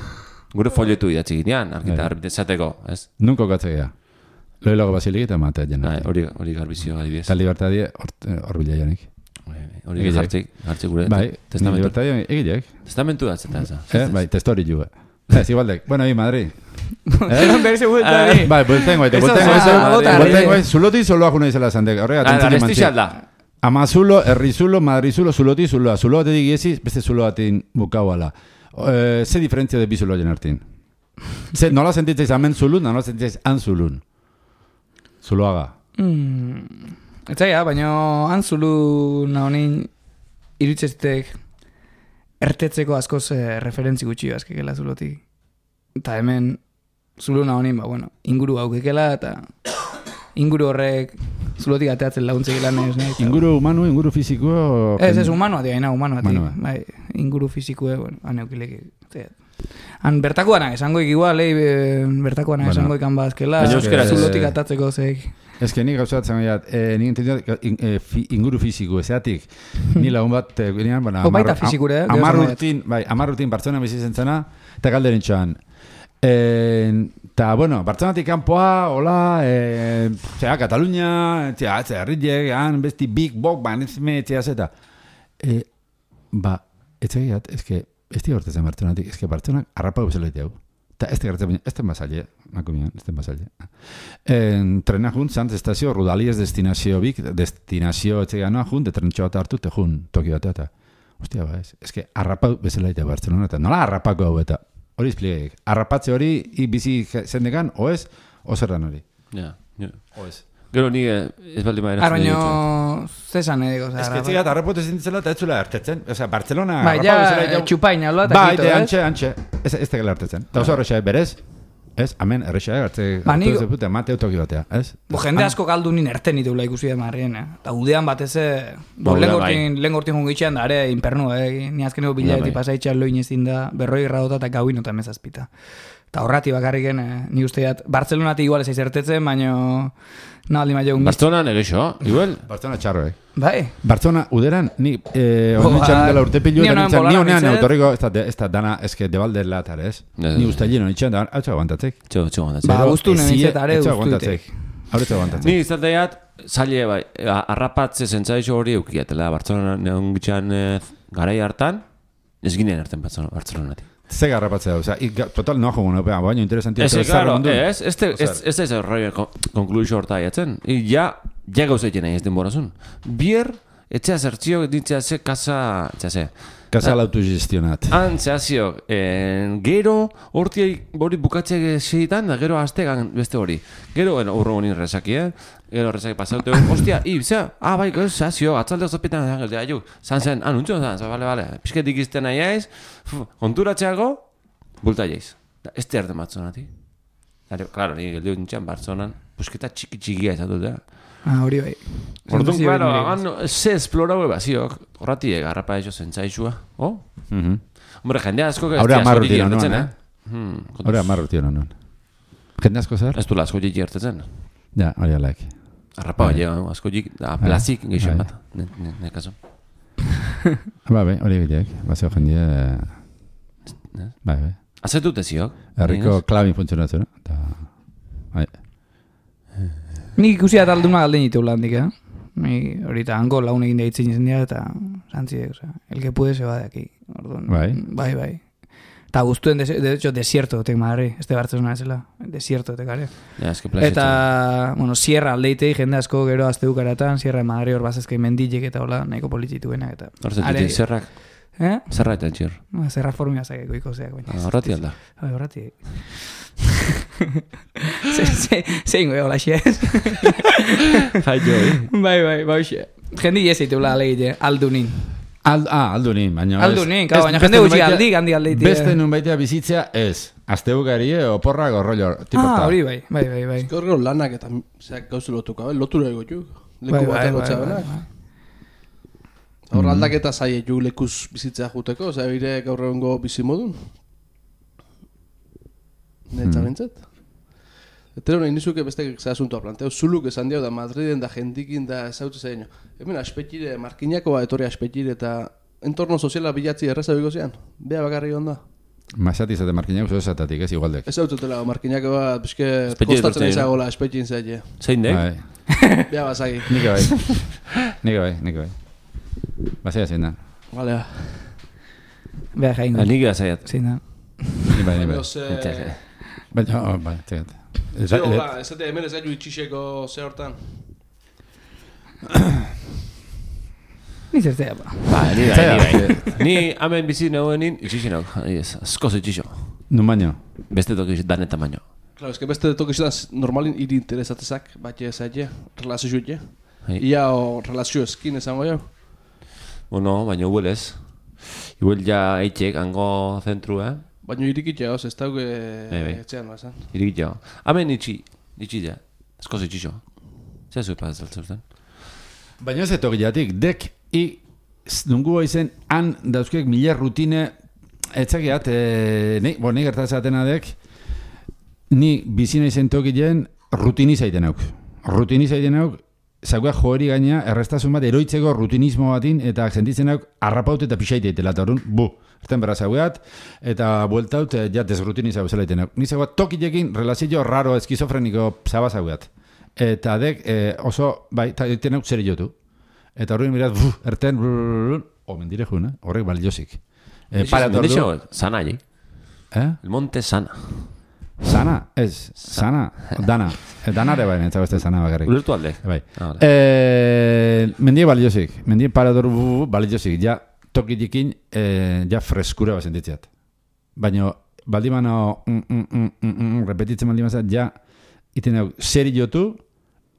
gure folietu idatzi ginean, argitezateko, ez? Nunko gatzea. Loiolako basilik eta matea jena. Hori hori garbizio adibidez. Eta libertadie hor bila janik. Hori jartzik, jartzik gure bai, testamentu. Libertadie egilek. Testamentu datzen da. Eh, bai, testori jue. Ez, igualdek. Bueno, hi, Madrid. Berse bueltari. Bai, buelten guaite, buelten guaite. Buelten guaite, zuloti zoloa juna izela zandek. Horrega, tentzini mantzi. Amazulo, herrizulo, madrizulo, zuloti, zuloa. Zuloa tedik iesiz, beste zuloa atin bukau ala. Ze diferentzia de bi zuloa jenartin? Nola sentitzeiz amen zulun, nola sentitzeiz an zulun? Zuloaga. Mm. Etzaia, baina han zulu nahonin irutzezitek ertetzeko askoz eh, referentzi gutxi bazkekela zulotik. Eta hemen zulu nahonin, ba, bueno, inguru haukekela eta inguru horrek zulotik ateatzen laguntzek lan ez nahi. Inguru humano, inguru fisiko... Ez, ez, humanoa tia, ina, humanoa tia. Humanoa. Bai, inguru fisikue, bueno, aneukilek. Han bertakoanak esangoik igual, eh, bertakoanak Bueno. esangoik han bazkela, Baina euskera ez- zulotik atatzeko zeik. Ez que nik gauzat zen gaiat, eh, nik entendiot in, eh, fi, inguru fisiko, ezeatik, ni lagun bat, eh, ginean, bueno, O, baita fisikure, eh, amar gero esan urtin, bai, amar urtin Bartzelona bizi zentzena, eta galderen txoan. Eta, bueno, Bartzelonatik kanpoa, hola, eh, zera, Katalunia, zera, zera, herriek, han, besti, big, bok, banezme, zera, zeta. Eh, ba, ez egiat, ez que, ez di hortezen Bartzelonatik, ez que Bartzelonak arrapa guzela hau. Eta ez te gertzen, ez ten basaile, nako mian, ez ten basaile. En, trena jun, zantz estazio, Rudalies destinazio bik, destinazio etxegan noa jun, de trentxo bat hartu, te jun, toki bat eta. Ostia, ba, ez, ez que arrapa bezala hau Bartzelona, eta nola arrapako hau eta. Hori izpliegek, arrapatze hori i bizi zendekan, o ez, o zerran hori. Ja, ja. O ez. Gero ni eh, ez baldin baina... Arbaino, zesan edeko, Ez que etxegat arrapote zintzela eta ez zula hartetzen. Osea, Bartzelona Bai, arrapa bezala ja, hau. txupaina, loa, eta Bai, kito, de ez? antxe, antxe. Ez, ez tegela hartetzen. Eta oso horrexea, berez? Ez, amen, errexea, hartze, Ba, hartu nik- zepute, mate autoki batea, ez? Bo, jende asko galdu nin erten itula ikusi da marrien, eh? Eta udean batez, eh, bo, Ba, lehen uda, bai. gortin, lehen gortin jungitxean da, are, inpernu, eh? Ni azkeneko bilaeti bai. pasaitxean loin ezin da, berroi gradota eta gauin eta mezazpita. Eta horrati bakarriken, eh, ni usteat, Bartzelonatik igual ez aizertetzen, baino, nahaldi maio ungitz. Bartzonan egeixo, igual? Bartzona txarro, eh? Bai, Bartzona, uderan, ni, eh, Bo, onetxan ba, dela urte pilu, ni eta honean nintzen, ni bolana honean nintzen. autorriko, ez da, ez da dana, ez que debalde latar, ez? Ez, Ni ez. usta lleno nintzen, da, hau txau aguantatzek. Txo, txo, gondatzen. Ba, guztu Ezie, nintzen, are ez txau guztu aguantatzek. Hau txau aguantatzek. Ni izateat, zaila bai, a- arrapatze zentzaixo hori eukiatela, Bartzonan neon gitxan eh, garai hartan, ez ginean hartan Bartzonatik. Ze garrapatzea, osea, i- ga- total no jogun, opea, baina interesantia. Ez, claro, ez, ez, Osea, ez, ez, ez, rollo konkluixo horta jatzen. I ja, ja gauzaiten nahi ez denborazun. Bier, etxea zertzio, ditzea ze, kasa, etxea ze. Kasa autogestionat. Han, zehazio, en, gero, horti hori bukatzea segitan, da gero aztegan beste hori. Gero, bueno, urro honin rezaki, eh? Gero rezaki pasaute, ostia, i, zea, ah, bai, gero, zehazio, atzalde ozapetan, zangel, ja, ju, zan zen, ah, nuntxo, zan, bale, bale, pixketik izten nahi aiz, konturatxeago, bulta jaiz. Da, ez te arte matzonati. Claro, ni geldio nintxan, Bartzonan, busketa txiki txikia izatu da. Ah, hori bai. Orduan, Sensazio claro, hori hagan, ze esplorau ebaziok, horrati garrapa eso zentzaixua, oh? Mhm. Hombre, jende asko que Ahora ez amarru asko tiro jertetzen, non, eh? eh? Hmm, kontuz. Hora amarru tio non. Jende asko zer? Ez du asko jik jertetzen. Ja, hori alaik. Arrapa, Bai. ja, asko jik, da, plazik geixen Bai. bat, ne, ne, ne kaso. Ba, bai, hori egitek. Bazeo jendie... Ne? Bai, bai. Azetu teziok. Herriko klabin funtzionatzen, no? Eta... Bai. Nik ikusi da alduna galden ditu handik, eh? Ni horita hango laun egin deitzen izan dira eta zantzide, o sea, el que puede se va de aquí. Orduan, Bai. Bai, bai. Eta guztuen, de, de hecho, desierto tek madre, este Bartzelona ezela, desierto tek are. Ja, eske plazik. Eta, bueno, sierra aldeitei jende asko gero azte ukaratan, sierra de Madrid hor bazazkai mendilek eta hola, nahiko politituenak eta... Hor zetutik, zerrak, Eh? zerra eta txir. No, zerra formia zakeko ikozeak, baina. Ah, Horrati alda. Bai, horrati. ze, ze, zein goe hola xez. Jai jo, eh? Bai, bai, bai, xe. Jendi jezeitula alegite, aldunin. Al, ah, aldu nin, baina... Aldunin, kau, baina jende gutxi aldi, handi aldeite. Beste nun baitea bizitzea ez. Azte ugari, oporra, gorrollo, Ah, tipota. hori bai, bai, bai, bai. Gaur gero lanak eta zeak gauze lotuka, bai? Lotura ego ju. Leku Bai, bai, batean bai, lotza bai, benak. bai. Hor aldaketa zaie ju lekuz bizitzea juteko, osea, bire gaur egongo bizi modun. Netza bintzat. Etero nahi nizuke beste ze asuntoa planteo. Zuluk esan dio da Madriden da jendikin da ezautze zaino. Hemen aspetxire, markinako ba etorri aspetxire eta entorno soziala bilatzi erreza biko zian. Bea bakarri onda. Masati izate markinak, oso esatatik, ez igualdek. Ez hautzutela markinako bat, bizke Aspetxire kostatzen etortzen izagola aspetxin zaile. Zein dek? Bai. Bea bazagi. Nik bai. Nik bai, nik bai. Bazea zein da. Vale, Beha jaingo. Nik azaiat. Zein da. Ni bai, ni bai. baina ze... Baina, oh, bai, tegat. Zeo, ba, ez dute hemen ez gaitu itxixeko ze hortan. Ni zertzea, ba. Ba, ni bai, Zera, ni bai. Ni hemen bizi nagoenin, itxixinok, ez, askoz itxixo. Nun baino. Beste toki danet tamaino. Claro, es que beste tokizetan normalin iri interesatezak, bat ez aile, relazio juet, Bai. Ia o relazio eskin esango jau. Bueno, baina huel ez. Igual ja eitxek, hango zentru, eh? Baina irikitxe hoz, ez dauke bai. etxean bazan. Irikit jo. Hemen itxi, itxi ja. Askoz itxixo. Zer zupa ez altzeusten? Baina ez etokiatik, dek, i, nungu izen, han dauzkek mila rutine, etzakiat, e, ni, bo, ni gertatzatena dek, ni bizina izen tokilen rutiniza iten auk. Rutiniza iten auk, zagoa joeri gaina, errestasun bat, eroitzeko rutinismo batin, eta sentitzen auk, arrapaut eta pixaite itela, eta horren, bu, erten berra zagoat, eta bueltaut, ja, desrutiniza bezala iten auk. Ni zagoa tokilekin relazio raro, eskizofreniko zaba zagoat. Eta dek, eh, oso, bai, eta iten auk zer jotu. Eta horren mirat, buf, erten, omen dire juna, horrek baliozik. Eh, para Nixo, sana, allí. Eh? El monte sana. Sana, ez, sana, dana. E, danare bai, nintzago este sana bakarrik. Ulertu alde. Bai. Ah, vale. Eh, mendie baliozik, mendie parador baliozik, ja tokilekin, eh, ja freskura bat sentitzeat. Baina, baldimano, mm, mm, mm, mm, mm, repetitzen baldimazat, ja, iten hau, seri jotu,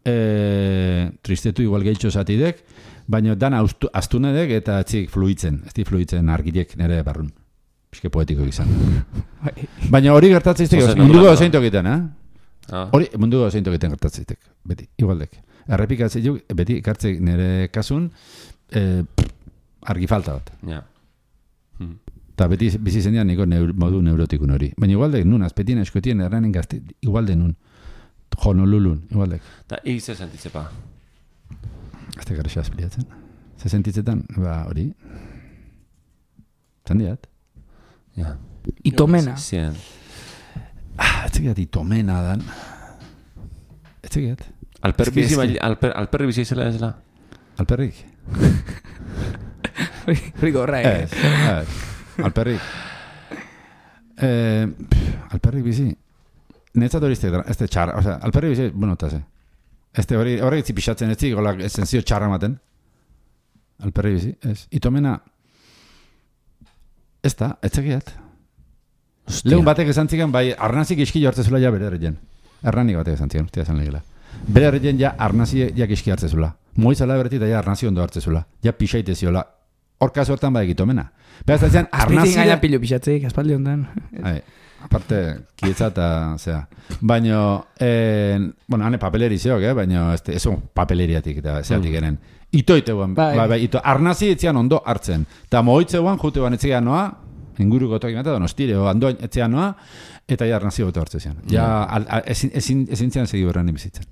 eh, tristetu igual gehitxo zatidek, baina dana astunedek eta txik fluitzen, ez di fluitzen argilek nire barrun. Piske poetiko izan. Baina hori gertatzeitek, munduko zein tokiten, eh? Ah. Hori munduko zein tokiten gertatzeitek, beti, igualdek. Errepikatzeituk, beti ikartzeik nire kasun, eh, argi falta bat. Ja. Hmm. Eta beti bizi zendian niko neur, modu neurotikun hori. Baina igualdek nun, azpetien eskotien erranen gazte, igualde nun. Honolulun, igualdek. Eta ig ze sentitzepa? Azte garrisa azpiliatzen. Ze sentitzetan, ba hori. Zandiat. Ja. Itomena. Zien. Ah, ez tegiat itomena dan. Ez tegiat. Alper Eski, bizi, eski. bai- alper, alperri bizi zela ez la? Alperrik? Hori gorra, eh? Ez, ez. Alperrik. Eh, pff, alperrik bizi. Netzat hori izte, ez te txarra. O sea, alperrik bizi, bueno, eta ze. Ez te hori, horrek itzi pixatzen ez zik, gola esenzio txarra maten. Alperrik bizi, ez. Itomena, ez da, ez tegiat. Lehun batek esan ziken, bai, arnazik iski jortzezula ja bere herrien. Erranik batek esan ziken, ustia esan legela. Bere herrien ja arnazi ja iski hartzezula. Moizala beretik da ja arnazi ondo hartzezula. Ja pixaite ziola. Horka sortan badak itomena. Beraz, ez zian, Azpitin arnazi... gaina pilo pixatzeik, aspaldi ondan. Ai, aparte, kietza eta, zera. Baina, eh, bueno, hane papeleri zeok, eh? Baina, este, ez on papeleriatik eta zeatik genen. Itoite guan, Bai. bai, bai, ito, arnazi etzian ondo hartzen. Eta moitze guan, jute guan etzian noa, inguruko toki meta, donostire, o andoin etzian noa, eta ja arnazi gote hartzen zian. Ja, al, al, ezin, ezin, ezin zian segi berran bizitzen.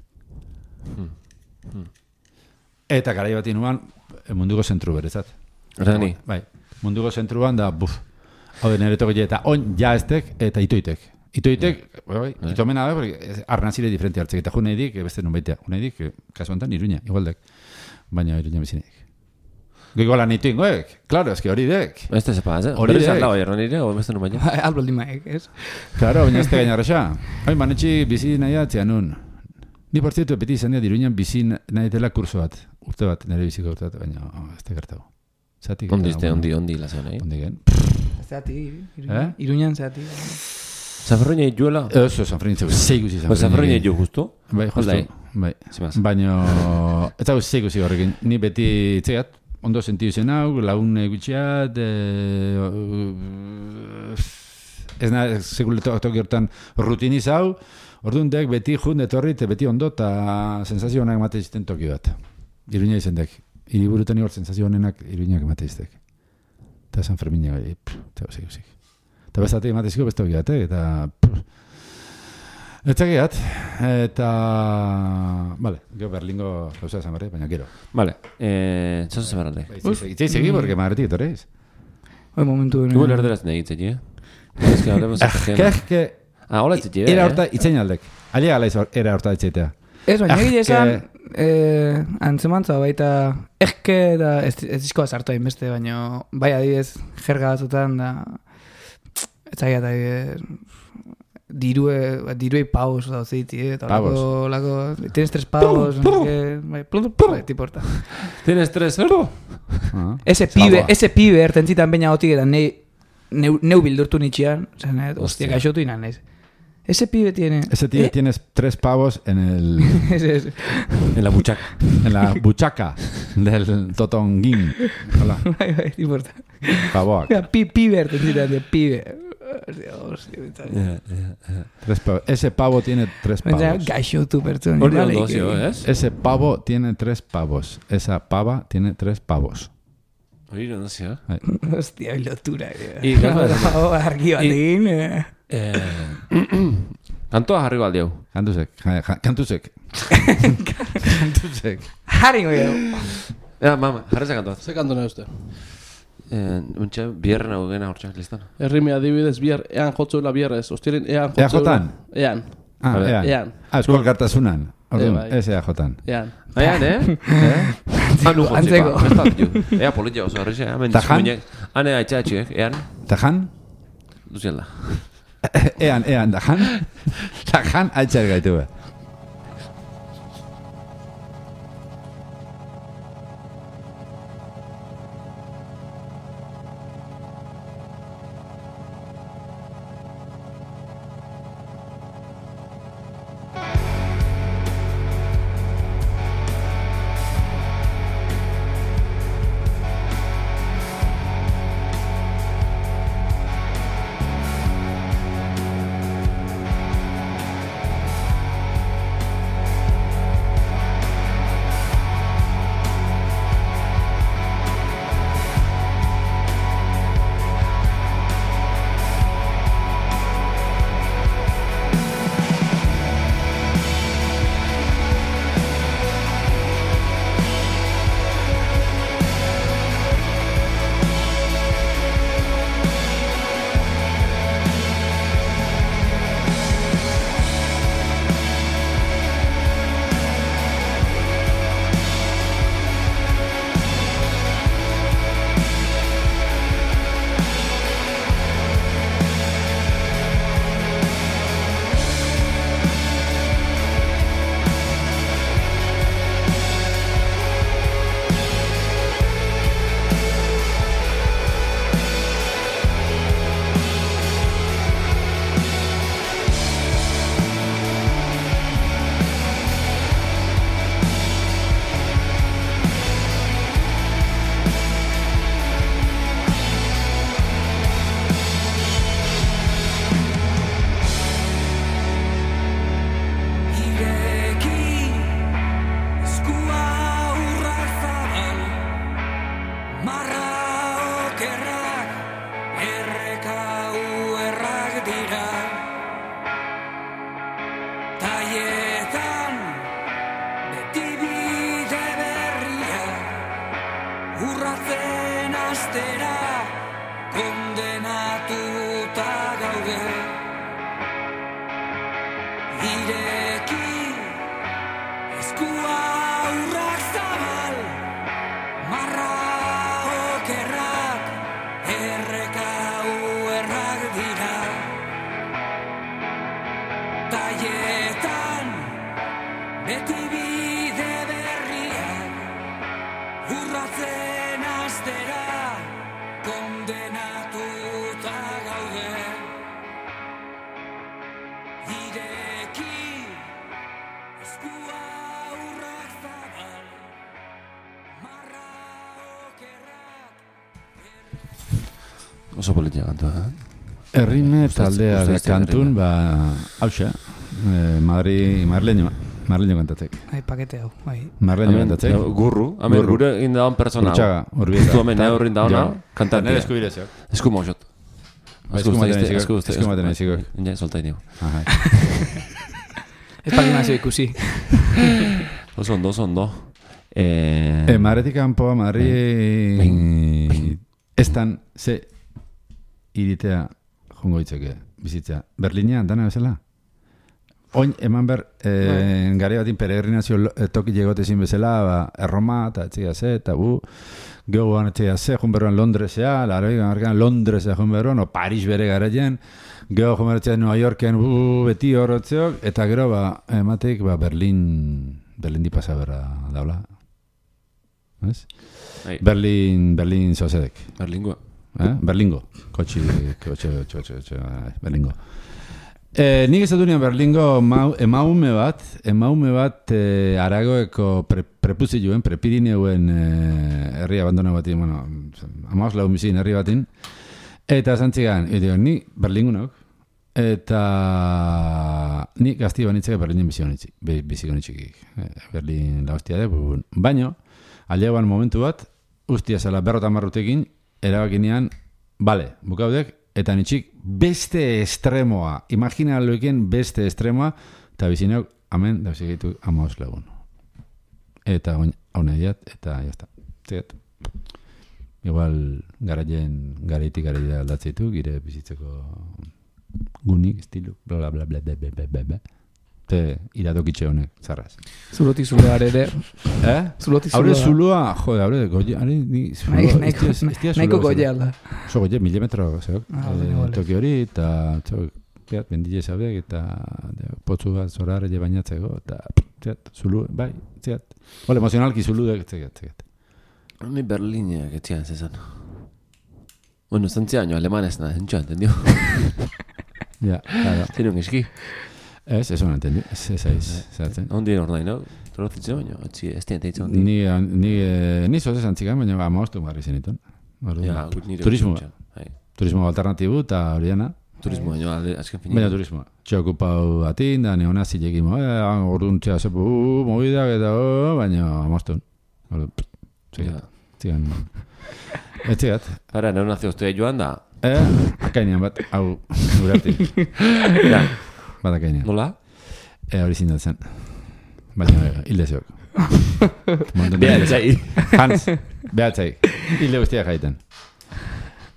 Eta garai bat inuan, munduko zentru berezat. Rani. Bai, munduko zentruan da, buf, hau de nire toki eta on jaestek eta itoitek. Itoitek, bai, bai, itomena da, porque arnazire diferente hartzek, eta june edik, beste nun baitea, june edik, kasu honetan, Iruña, igualdek, baina Iruña bizinek. Goiko lan ito ingoek, klaro, eski hori dek. Beste zepa, ez? Hori Hori dek. dek. Lau aierran ere, o beste nun baina? Alboldi maek, ez? Klaro, baina ez te gainarresa. Hoi, manetxi bizi nahi atzean nun. Ni por cierto, beti izan dira Iruñan bizi nahi dela kurso bat, urte bat, nire biziko urte bat, baina oh, ez te gertago. Zatik. Ondi, este, ondi, ondi, lazen, nahi? Ondi gen. Zeati, Eh? Iruñan zeati. Zaferroina ituela? Eso, San Francisco, zeiguzi San Pues zaferroina itu, justu? Bai, justo, Holdai. bai. Zimaz. Baina, ez dago zeiguzi horrekin. Ni beti, txegat, ondo sentiu zen hau, lagun egutxeat, ez nahi, sekule toki hortan rutiniz hau, orduan dek beti jun etorri, eta beti ondo, eta sensazio honak emate izten toki bat. Iruña izan dek. Iriburutan hor sensazio honenak Iruñak emate iztek. Eta San Fermina gai, eta hau zeiguzik. Eta bestatik emate izko besta hoki bat, eta... Eta gehat, eta... Vale, gero Berlingo gauza esan berre, baina gero. Vale, eh, txaso zebaralde. Itzei segi, porque madretik etorreiz. Hoi momentu... Igual erderaz nahi itzeti, eh? Ez que hablemos Eh, de que, que... Ah, hola itzeti, Era eh? horta itzein aldek. Alia gala izor, era horta itzeitea. Ez, baina Ah, egia esan, que- eh, antzemantza baita, ezke da, ez, ez izkoa sartu hain beste, baina bai adibidez, jerga batzutan da, ez zaigat adibidez, dirue, diruei pavos da utziti, eh, eta Pavos. lako, lako, tienes tres pavos, no sé qué, bai, plum, plum, bai, tipo horta. Tienes tres, ero? Ah. Ese pibe, Pavoa. ese pibe ertentzitan baina gotik eta nei, neu, neu bildurtu nitxian, zen, eh, hostia, Hostia. gaixotu inan, ez. Ese pibe tiene... Ese tío eh, tienes tres pavos en el... ese, ese. En la buchaca. en la buchaca del totonguín. Hola, Bai, bai, tipo horta. pavoak. Mira, pi, pibe ertentzitan, de pibe. Tres pavos. Ese pavo tiene tres pavos. Gaixo tu pertsona. Hori ondo zio, ez? Ese pavo tiene tres pavos. Esa pava tiene tres pavos. Hori ondo zio. Hostia, lotura. I, gauza, argi batekin. kantoa jarri baldi hau. Kantuzek. Kantuzek. Kantuzek. Jarri goi. Ja, mama, jarri ze kantoa. Ze kantu nahi uste? Eh, untxe, bierren hau gena hortxak listan. Herrimi adibidez bier, ean jotzuela bierrez. Ostiren ean Ea jotzuela. jotan? Ean. Ah, ean. Ean. Ah, eskual kartasunan. Orduan, bai. ez ea jotan. Ean. Aian, eh? Anu Antzeko. jotzeko. Ea politia oso horrexe. Tajan? Hane aitxatxuek, ean. Tajan? Duziela. Ean, ean, tajan? Tajan, altxar gaitu be. Oso politia kantua, eh? Errime taldea da kantun, ba, hauxe, eh, Madri, Marleño, Marleño kantatzek. Ai, pakete hau, bai. Marleño kantatzek. Gurru, hamen gure egin dagoen persona. Urtsaga, urbieta. Justu hamen eurrin dagoena, kantatia. Nere eskubirezeak. Esku mausot. Esku maten esku maten eziko. Ja, solta inigo. Aha. Ez pakinazio ikusi. Oso ondo, oso ondo. Eh, eh, Madretik kanpoa, Madri... Estan, ze... iritea jongo ditzeke, bizitza. Berlinean, dana bezala? Oin, eman ber, eh, gari batin peregrinazio toki jegotezin bezala, ba, Erroma, eta etxea ze, eta bu, gehoan etxea ze, junberroan Londresea, laroi gamarkan Londresea junberroan, o Paris bere garaien, geho junberroan New Yorken, bu, beti horretzeok, eta gero, ba, emateik, ba, Berlin, Berlin di pasa berra daula. Ez? Berlin, Berlin zozedek. Berlingoa. Eh? Berlingo. Kotxi, kotxe, kotxe, kotxe, Berlingo. Eh, nik ez dut nian Berlingo mau, emaume bat, emaume bat eh, Aragoeko pre, prepuzioen, prepirineuen eh, herri abandona batin, bueno, amaus lau mizin herri batin, Eta zantzigan, edo, ni Berlingunok, eta ni gazti banitzek Berlinen biziko biziko nitxikik. Berlin la hostia de, baino, aldeagoan momentu bat, ustia zela berrotan marrutekin, erabakinean, bale, bukaudek, eta nitxik beste estremoa, imagina loiken beste estremoa, eta bizineok, amen, da bizikitu amaos lagun. Eta hauna diat, eta jazta. Zigat. Igual garaien, garaitik garaia aldatzeitu, gire bizitzeko gunik, estilu, bla, bla, bla, bla, bla, bla, bla, bla. Te iradokitxe honek, zarraz. Zuloti zuloa ere. Eh? Zuloti zuloa. Haure zuloa, jode, haure, goie, ari, ni zuloa, estia zuloa. Naiko goie alda. Oso goie, milimetro, zeok. Ah, vale. Toki hori, eta, txok, zeat, bendile zabek, eta potzu bat zorar ere bainatzeko, eta, zeat, zulu, bai, zeat. Ole, emozionalki zuludek, zeat, zeat. Ni Berlineak etzian zezan. Bueno, zantzia año alemanes nada, entxo, entendio? Ja, claro. Tiene un eski. Ez, ez hona entendi, ez ez aiz, zeratzen. Ondi hor nahi, no? Torozitzen baino, etzi, ez dien teitzen ondi. Ni, ni, ni zoz esan txikan, baina amaostu garri zenitun. Ja, gut nire. Turismo, Bai. turismo alternatibu eta horiana. Turismo baino, alde, azken fini. Baina turismo. Txokupau batin, da neona zilekimo, eh, orduntxea zepu, uh, mobidak eta, uh, baina amostun. Zigat, zigan. Ez zigat. Ara, neu nazio oztua joan da. Eh, akainean bat, hau, gurartin. Ja. Bat akainean. Nola? Eh, hori zindatzen. Baina, hilde zeok. Behatzai. Hans, behatzai. Hilde guztiak jaiten.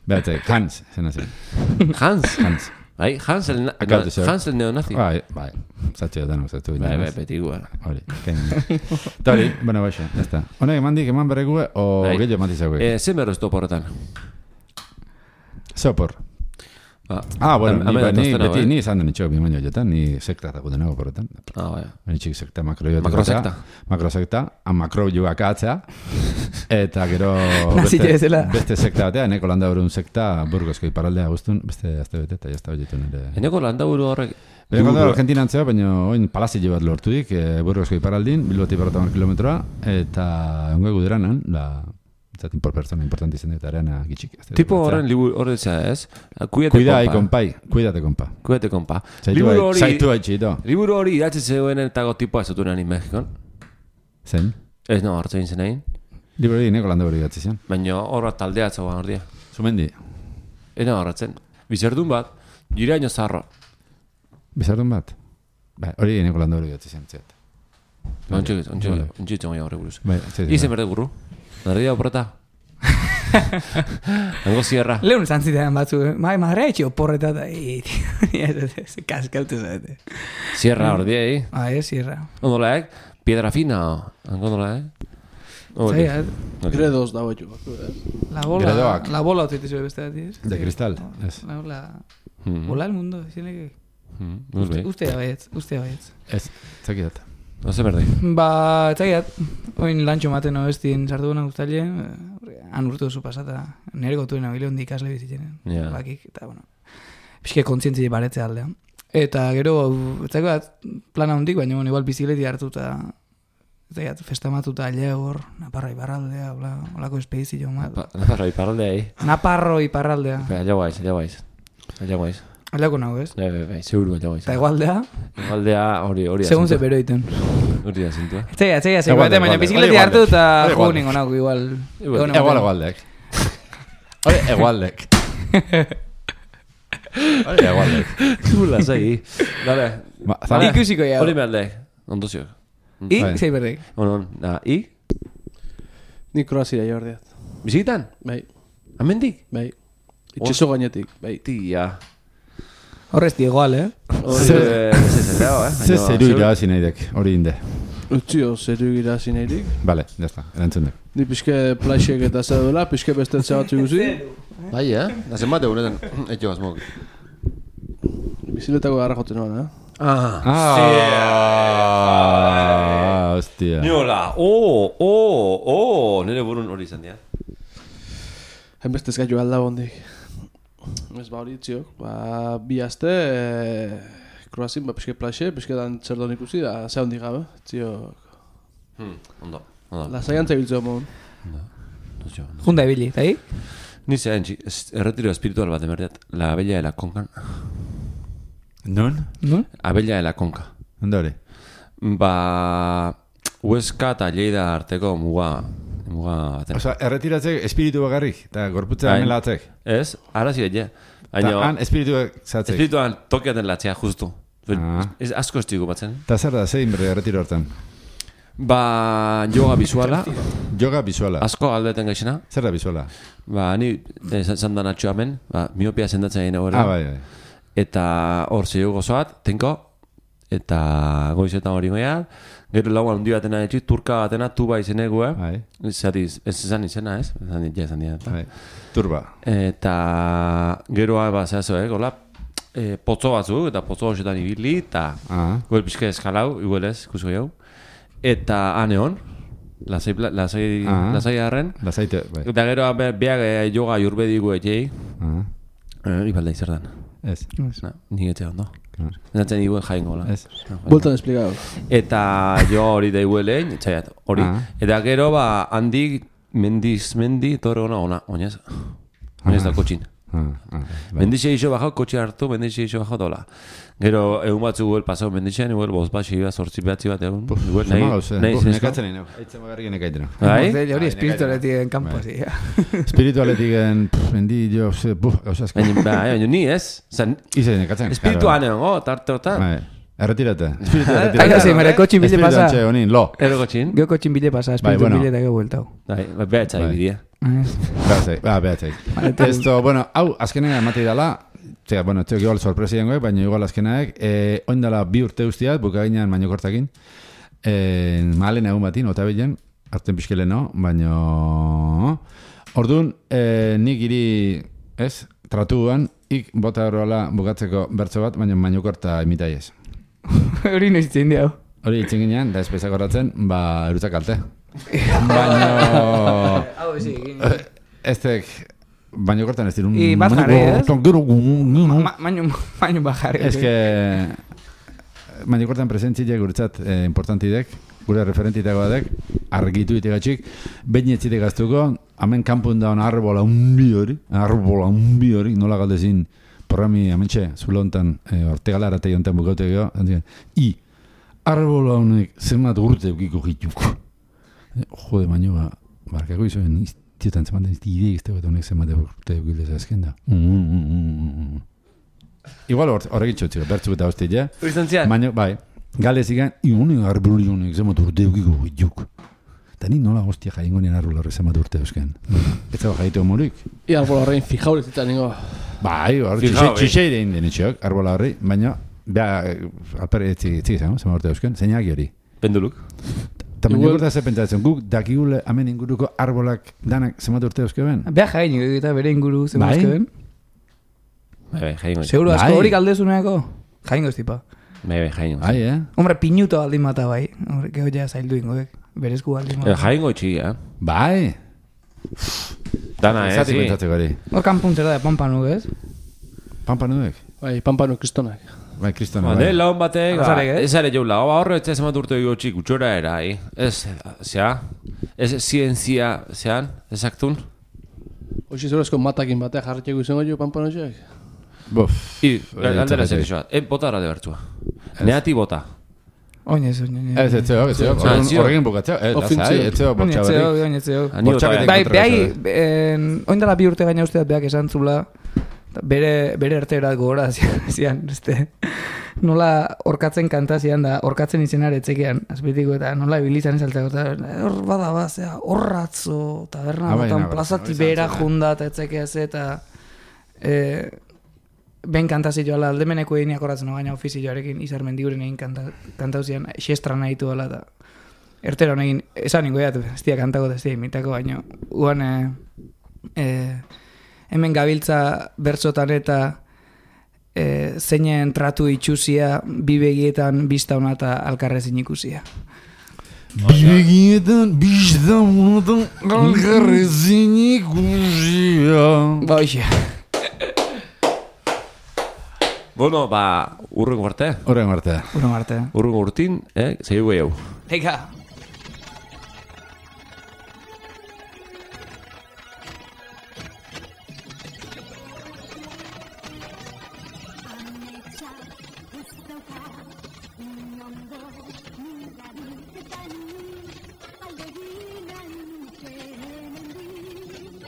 Behatzai, Hans, zena zen. Hans? Hans. Bai, Hans el, na, Akautu zeok. Hans el neonazi. Bai, bai. Zatxeo danok, zatu. Bai, bai, beti guara. Hori, kainen. Eta hori, bueno, baixo, ez da. Honek emandik eman berrekue, o Bai. gehiago emantizague. Eh, zen berro ez toporretan? Sopor. Ba, Ah, bueno, am- ni, amena ba, ni tostena, beti eh? ni izan den itxo bi baino jotan, ni sekta da nago porretan. Ah, bai. Ni txik sekta makroiotik. Makrosekta. Makrosekta, a makro jugak atzea. Eta gero Nazile beste, bezala. beste sekta batea, neko landa horun sekta Burgosko iparraldea guztun, beste azte bete, eta jazta horietun ere. Eneko landaburu horrek... Bere kontra Argentina antzea, baina oin palazio bat lortudik, e, Burgosko iparraldin, Bilboti berrotan kilometroa, eta ongo guderanan, la... Zatin por persona importante izan eta arena gitxik. Tipo horren liburu horretza ez? Cuídate, Cuida ahí, compa. kompai. Cuídate, kompa. Cuídate, compa. Zaitu Liburu bai- hori... Zaitu haitxito. Liburu hori idatzi zeuen etago tipoa ez zutunean in Mexikon. Zen. Ez no, hartzein zen egin. Libro hori neko landa hori gatzi zen. Baina horra taldea atzagoan hor dia. Zumendi. Ena horretzen. Bizerdun bat, jiraino zarro. Bizardun bat. Ba, hori neko landa hori gatzi zen. Zet. Ontsi, ontsi, Vale. ontsi txongo horre buruz. Bai, zet. Izen berde burru. Narria oporreta. Hango zierra. Lehun izan zidean batzu, bai, madre etxe oporreta da, se kaskaute zaite. Zierra hor dia, eh? Ah, ez, zierra. Ondolaek, piedra fina. Hango ondola, eh? Hori. Zai, Gredos dago jo. la bola, Gradoak. la bola otzite zure beste bat, ez? De cristal, ez. La bola, Mm. bola el mundo, zinek. Mm, Uste, Uste baietz, uste baietz. Ez, zakidat. no se berde. Ba, etzakiat, oin lantxo maten obestin sartu gana guztaile, han urtu duzu pasata, nire gotuen abile hondi ikasle bizitzen. Ja. Bakik, eta, bueno, pixke kontzientzi baretzea aldea. Eta gero, etzakiat, plana hondik, baina, bueno, igual bizikleti hartuta, etzakiat, festamatuta aile hor, Naparra iparraldea, hola, holako espedizio bat. Pa- Nafarro, iparraldea, eh? Naparro iparraldea. Allá guaiz, allá guaiz. Allá guaiz. Aldeko nago, ez? Bai, bai, bai, seguru allá guaiz. Eta egualdea, Igualdea hori, hori da segun ze zintua. beroiten. Hori da zintua. Etzakiat, etzakiat, Egualde, baina egualde. bizikleti Hori hartu egualde. eta Hori jugu egualde. ningo nago, igual. Igual, egon Egual ematen. egualdek. Hori egualdek. Hori egualdek. Zula, zai. Dale. Ba, zara, Ikusiko ja. Hori mehalde. Ondozio. I, Bai. zei berdek. Ono, na, i? Ni Kroazia jordiat. Bizikitan? Bai, Amendik? bai. Itxeso gainetik, bai. Tia. Horrez igual, eh? Hori, Ze- eh, ze zeleo, eh? ze Baina, zeru zeur- irabazi nahi dek, hori inde. Utzio, zeru gira zineirik. Bale, jazta, erantzun dek. Ni pixke plaixek eta zer duela, pixke bestetze batzu guzi. Bai, eh? Nazen bate honetan, etxo azmok. Biziletako garra joten noan, eh? Ah, Ah, hostia. Niola, oh, oh, oh, nire burun hori izan dira. Hainbestez gaitu alda bondik. Ez ba hori itziok, ba, bi aste, e, Kroazin, ba, pixke plaxe, pixke dan txerdon ikusi, da, ze hondik gabe, itziok. Hmm, ondo, ondo. Lasaian zebiltzeo mon. Ondozio, ondo. Junda ebili, eta hi? Ni zean, erretiro espiritual bat emerdiat. La Abella de la Conca. Non? No? Abella de la Conca. Ondo hori? Ba... Huesca eta Lleida arteko muga... Muga baten. Osa, erretiratzek espiritu bakarrik, eta gorputzea hemen latzek. Ez, ara zire, ja. Eta han espiritu zatzek. Espirituan tokiaten latzea, justu. Ah. Ez asko estigu batzen. Eta zer da, zein berre erretiro hortan? Ba, yoga visuala. Yoga visuala. Asko aldeten gaixena. Zer da visuala? Ba, ni zandan atxo hemen, ba, miopia sendatzen egin hori. Ah, bai, bai. Eta hor zei gozoat, tenko, eta goizetan hori goia, gero lau handi batena etxit, turka batena, tuba izenegue. Bai. Zati, ez izan izena, ez? Ezan dit, ja, ezan dit. Bai. Turba. Eta geroa, ba, zehazo, eh, gola, e, potzo batzuk, eta potzo hoxetan ibili, eta Ah. goel pixka eskalau, iguelez, ikusko jau. Eta aneon, lasai, lasai, Ah. lasai harren. Lasaite, bai. Eta gero be, beak eh, yoga jurbedigu etxei, Ah. eh, ibalda izerdan. Ez. Na, ni etxe ondo. Claro. Zaten iguen jaingo, la. Ez. Bueltan esplikatu. Eta jo hori da iguelein, txaiat, hori. Ah. Eta gero, ba, handik, mendiz, mendi, torre ona, ona, oinez. Oinez da kotxin. Ah, ah, bai. Mendixe iso bajau, kotxe hartu, mendixe iso bajau dola. Gero, egun batzu guel pasau mendixean, iguel, boz bat, xeiba, sortzi behatzi bat egun. Iguel, nahi, nahi, Buf, nahi, nekatzen nahi, eitzen bagarrik nekaiten. Bai? Hori espiritualetik en kampo, zi. Espiritualetik en, mendi, jo, ze, buf, gauzazko. Baina, bai, baina ni ez. Zan, Ize nekatzen. espirituan egon, go, tarte hortan. Bai. Erretirate. Espiritu Hain erretirate. hasi, mere kotxin bile pasa. Espiritu antxe, honin, lo. Ero kotxin. Geo kotxin bile pasa, Bai, espiritu bueno. bile eta geo bueltau. Bai, behatza Bai. ibidia. Behatzeik, ba, behatzeik. Esto, bueno, hau, azkenea ematei dala, zera, bueno, txok igual sorpresa jangoek, baina igual azkenaek, eh, oindala bi urte guztiat, bukaginan mainokortakin, eh, mahalen egun batin, otabilen, hartzen pixkele no, baina... Orduan, eh, nik iri, ez, tratuan, ik bota horrela bukatzeko bertso bat, baina mainokorta imitai ez. Hori noiz itzen diau. Hori itzen ginean, da espezak horratzen, ba, erutzak kalte. Baina... Hau, ezi, Eztek, baino kortan ez dirun... I bat jarri, ez? ez? Maño, maño bajarri. Ez que... Baino kortan presentzitek guretzat eh, importantidek, gure referentitako badek, argitu itegatxik, behin etzitek gaztuko, hemen kanpun daun arbola unbi hori, arbola unbi hori, nola galdezin, programi amentxe, zulo hontan, eh, Ortegala aratei hontan bukaute geho, i, arbola honek zenbat urte eukiko gituko. Jode, baino, ba, barkako izoen, iztiotan zematen izti ideik ez tegot honek zenbat urte eukilez azken da. Igual horrekin txotxiko, bertzuk eta hostia, ja? Hori zian? Baina, bai, gale zigan, iunen arbuli honek zemat urte eukiko gituk. Eta ni nola hostia jaingo nien arbula horrek zemat urte eusken. Ez zaba jaitu homorik. I arbola horrein fijaurez eta ningo. Bai, hor, txixeire indien etxeok, arbola horri, baina, beha, alpere etzik izango, zemat urte eusken, zeinak hori. Penduluk. Eta baina gorta ze pentsatzen, guk dakigule hemen inguruko arbolak danak zemat urte euskeben? Beha jain, eta bere inguru zen Bai? bazkeben. Bai, bai, jaingo. Seguro, asko Bai. horik aldezuneako. Jaingo ez tipa. Bai, bai, jaingo. Bai, eh? Hombre, pinuto aldin mata bai. Hombre, geho ja zaildu ingoek. Berezku aldin Eh, mata. jaingo itxi, eh? Bai! Dana, eh, Zati si. pentsatzeko hori. Hor kanpuntzera da pampanu, ez? Pampa-nuek? Bai, pampano kristonak. Bai, kristona, Ba, bai. de laun batek, ba, Azarek, eh? ez ere joula, ba, horre ez zemat urte dugu txik, utxora era, eh? Ez, zea, ez zientzia, zean, ezaktun? Hoxe zerozko matakin batea jarretxeko izango jo pampanoxeak. Bof. I, Hori aldera ez zer isoa, e, bota ara de bertzua. Neati bota. Oinez, oinez. Ez, ez zeok, ez zeok. Ah, Horren- zio. Horrekin bukatzeo. Ez, Ofintzio. lasai, ez zeok, bortxa Oinetzeo, berrik. oinetzeo. Ani bota, Bortxaketek eh? Bai, kontra behai, eso, en, oindala bi urte gaina usteat beak esan zula, bere, bere erterat gogora zian, zian, este, nola orkatzen kanta zian da, orkatzen izenar etzekean, azpitiko, eta nola ibilizan esaltzako, eta hor bada bazea, horratzo, taberna Ah, bai, botan nabar, plazati hori behera izan zen, eh? junda, eta etzekeaz, eta eh, ben kantazioa aldemeneko egin akoratzen baina ofizioarekin izar mendiguren egin kanta, kantauzian, xestra nahitu dela, eta ertero egin, esan ningo edat, ez dia kantako, ez dia imitako, baina uan eh, eh, hemen gabiltza bertzotan eta eh, zeinen tratu itxusia, bi begietan bizta hona eta alkarrezin ikusia. Bibegietan, bizta honetan, algarrezin ikusia. Ba, hoxe. Bueno, ba, urrengo arte. Horren arte. Urren arte. Urrengo urtin, eh, zaigu gehiago. Eka! ez dauka inondo mirarik eta ni aldegin haintxe hemendik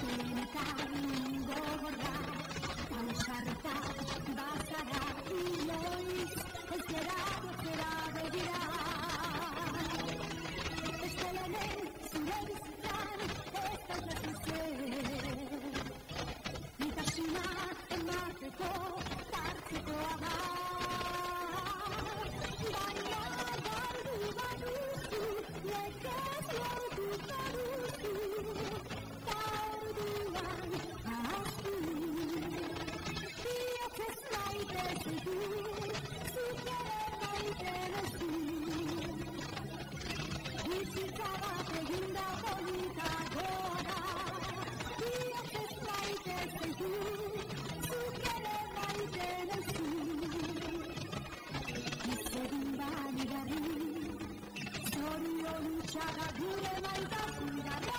benetan gogorra ausarta bazara inoiz ez gera bozera begira ez delemen zure bizitzan ez daukazu zer nitasuna emateko tartekoa da baina galdu baduzu lekez lortu baduzu ta orduan ahaztu biok ez maite zitu zuk ere maite duzu bizitza bat eginda politagoa da biok ez maite zitu zuk ere maite duzu izegin bani garri zorion txaga gure maitasuna da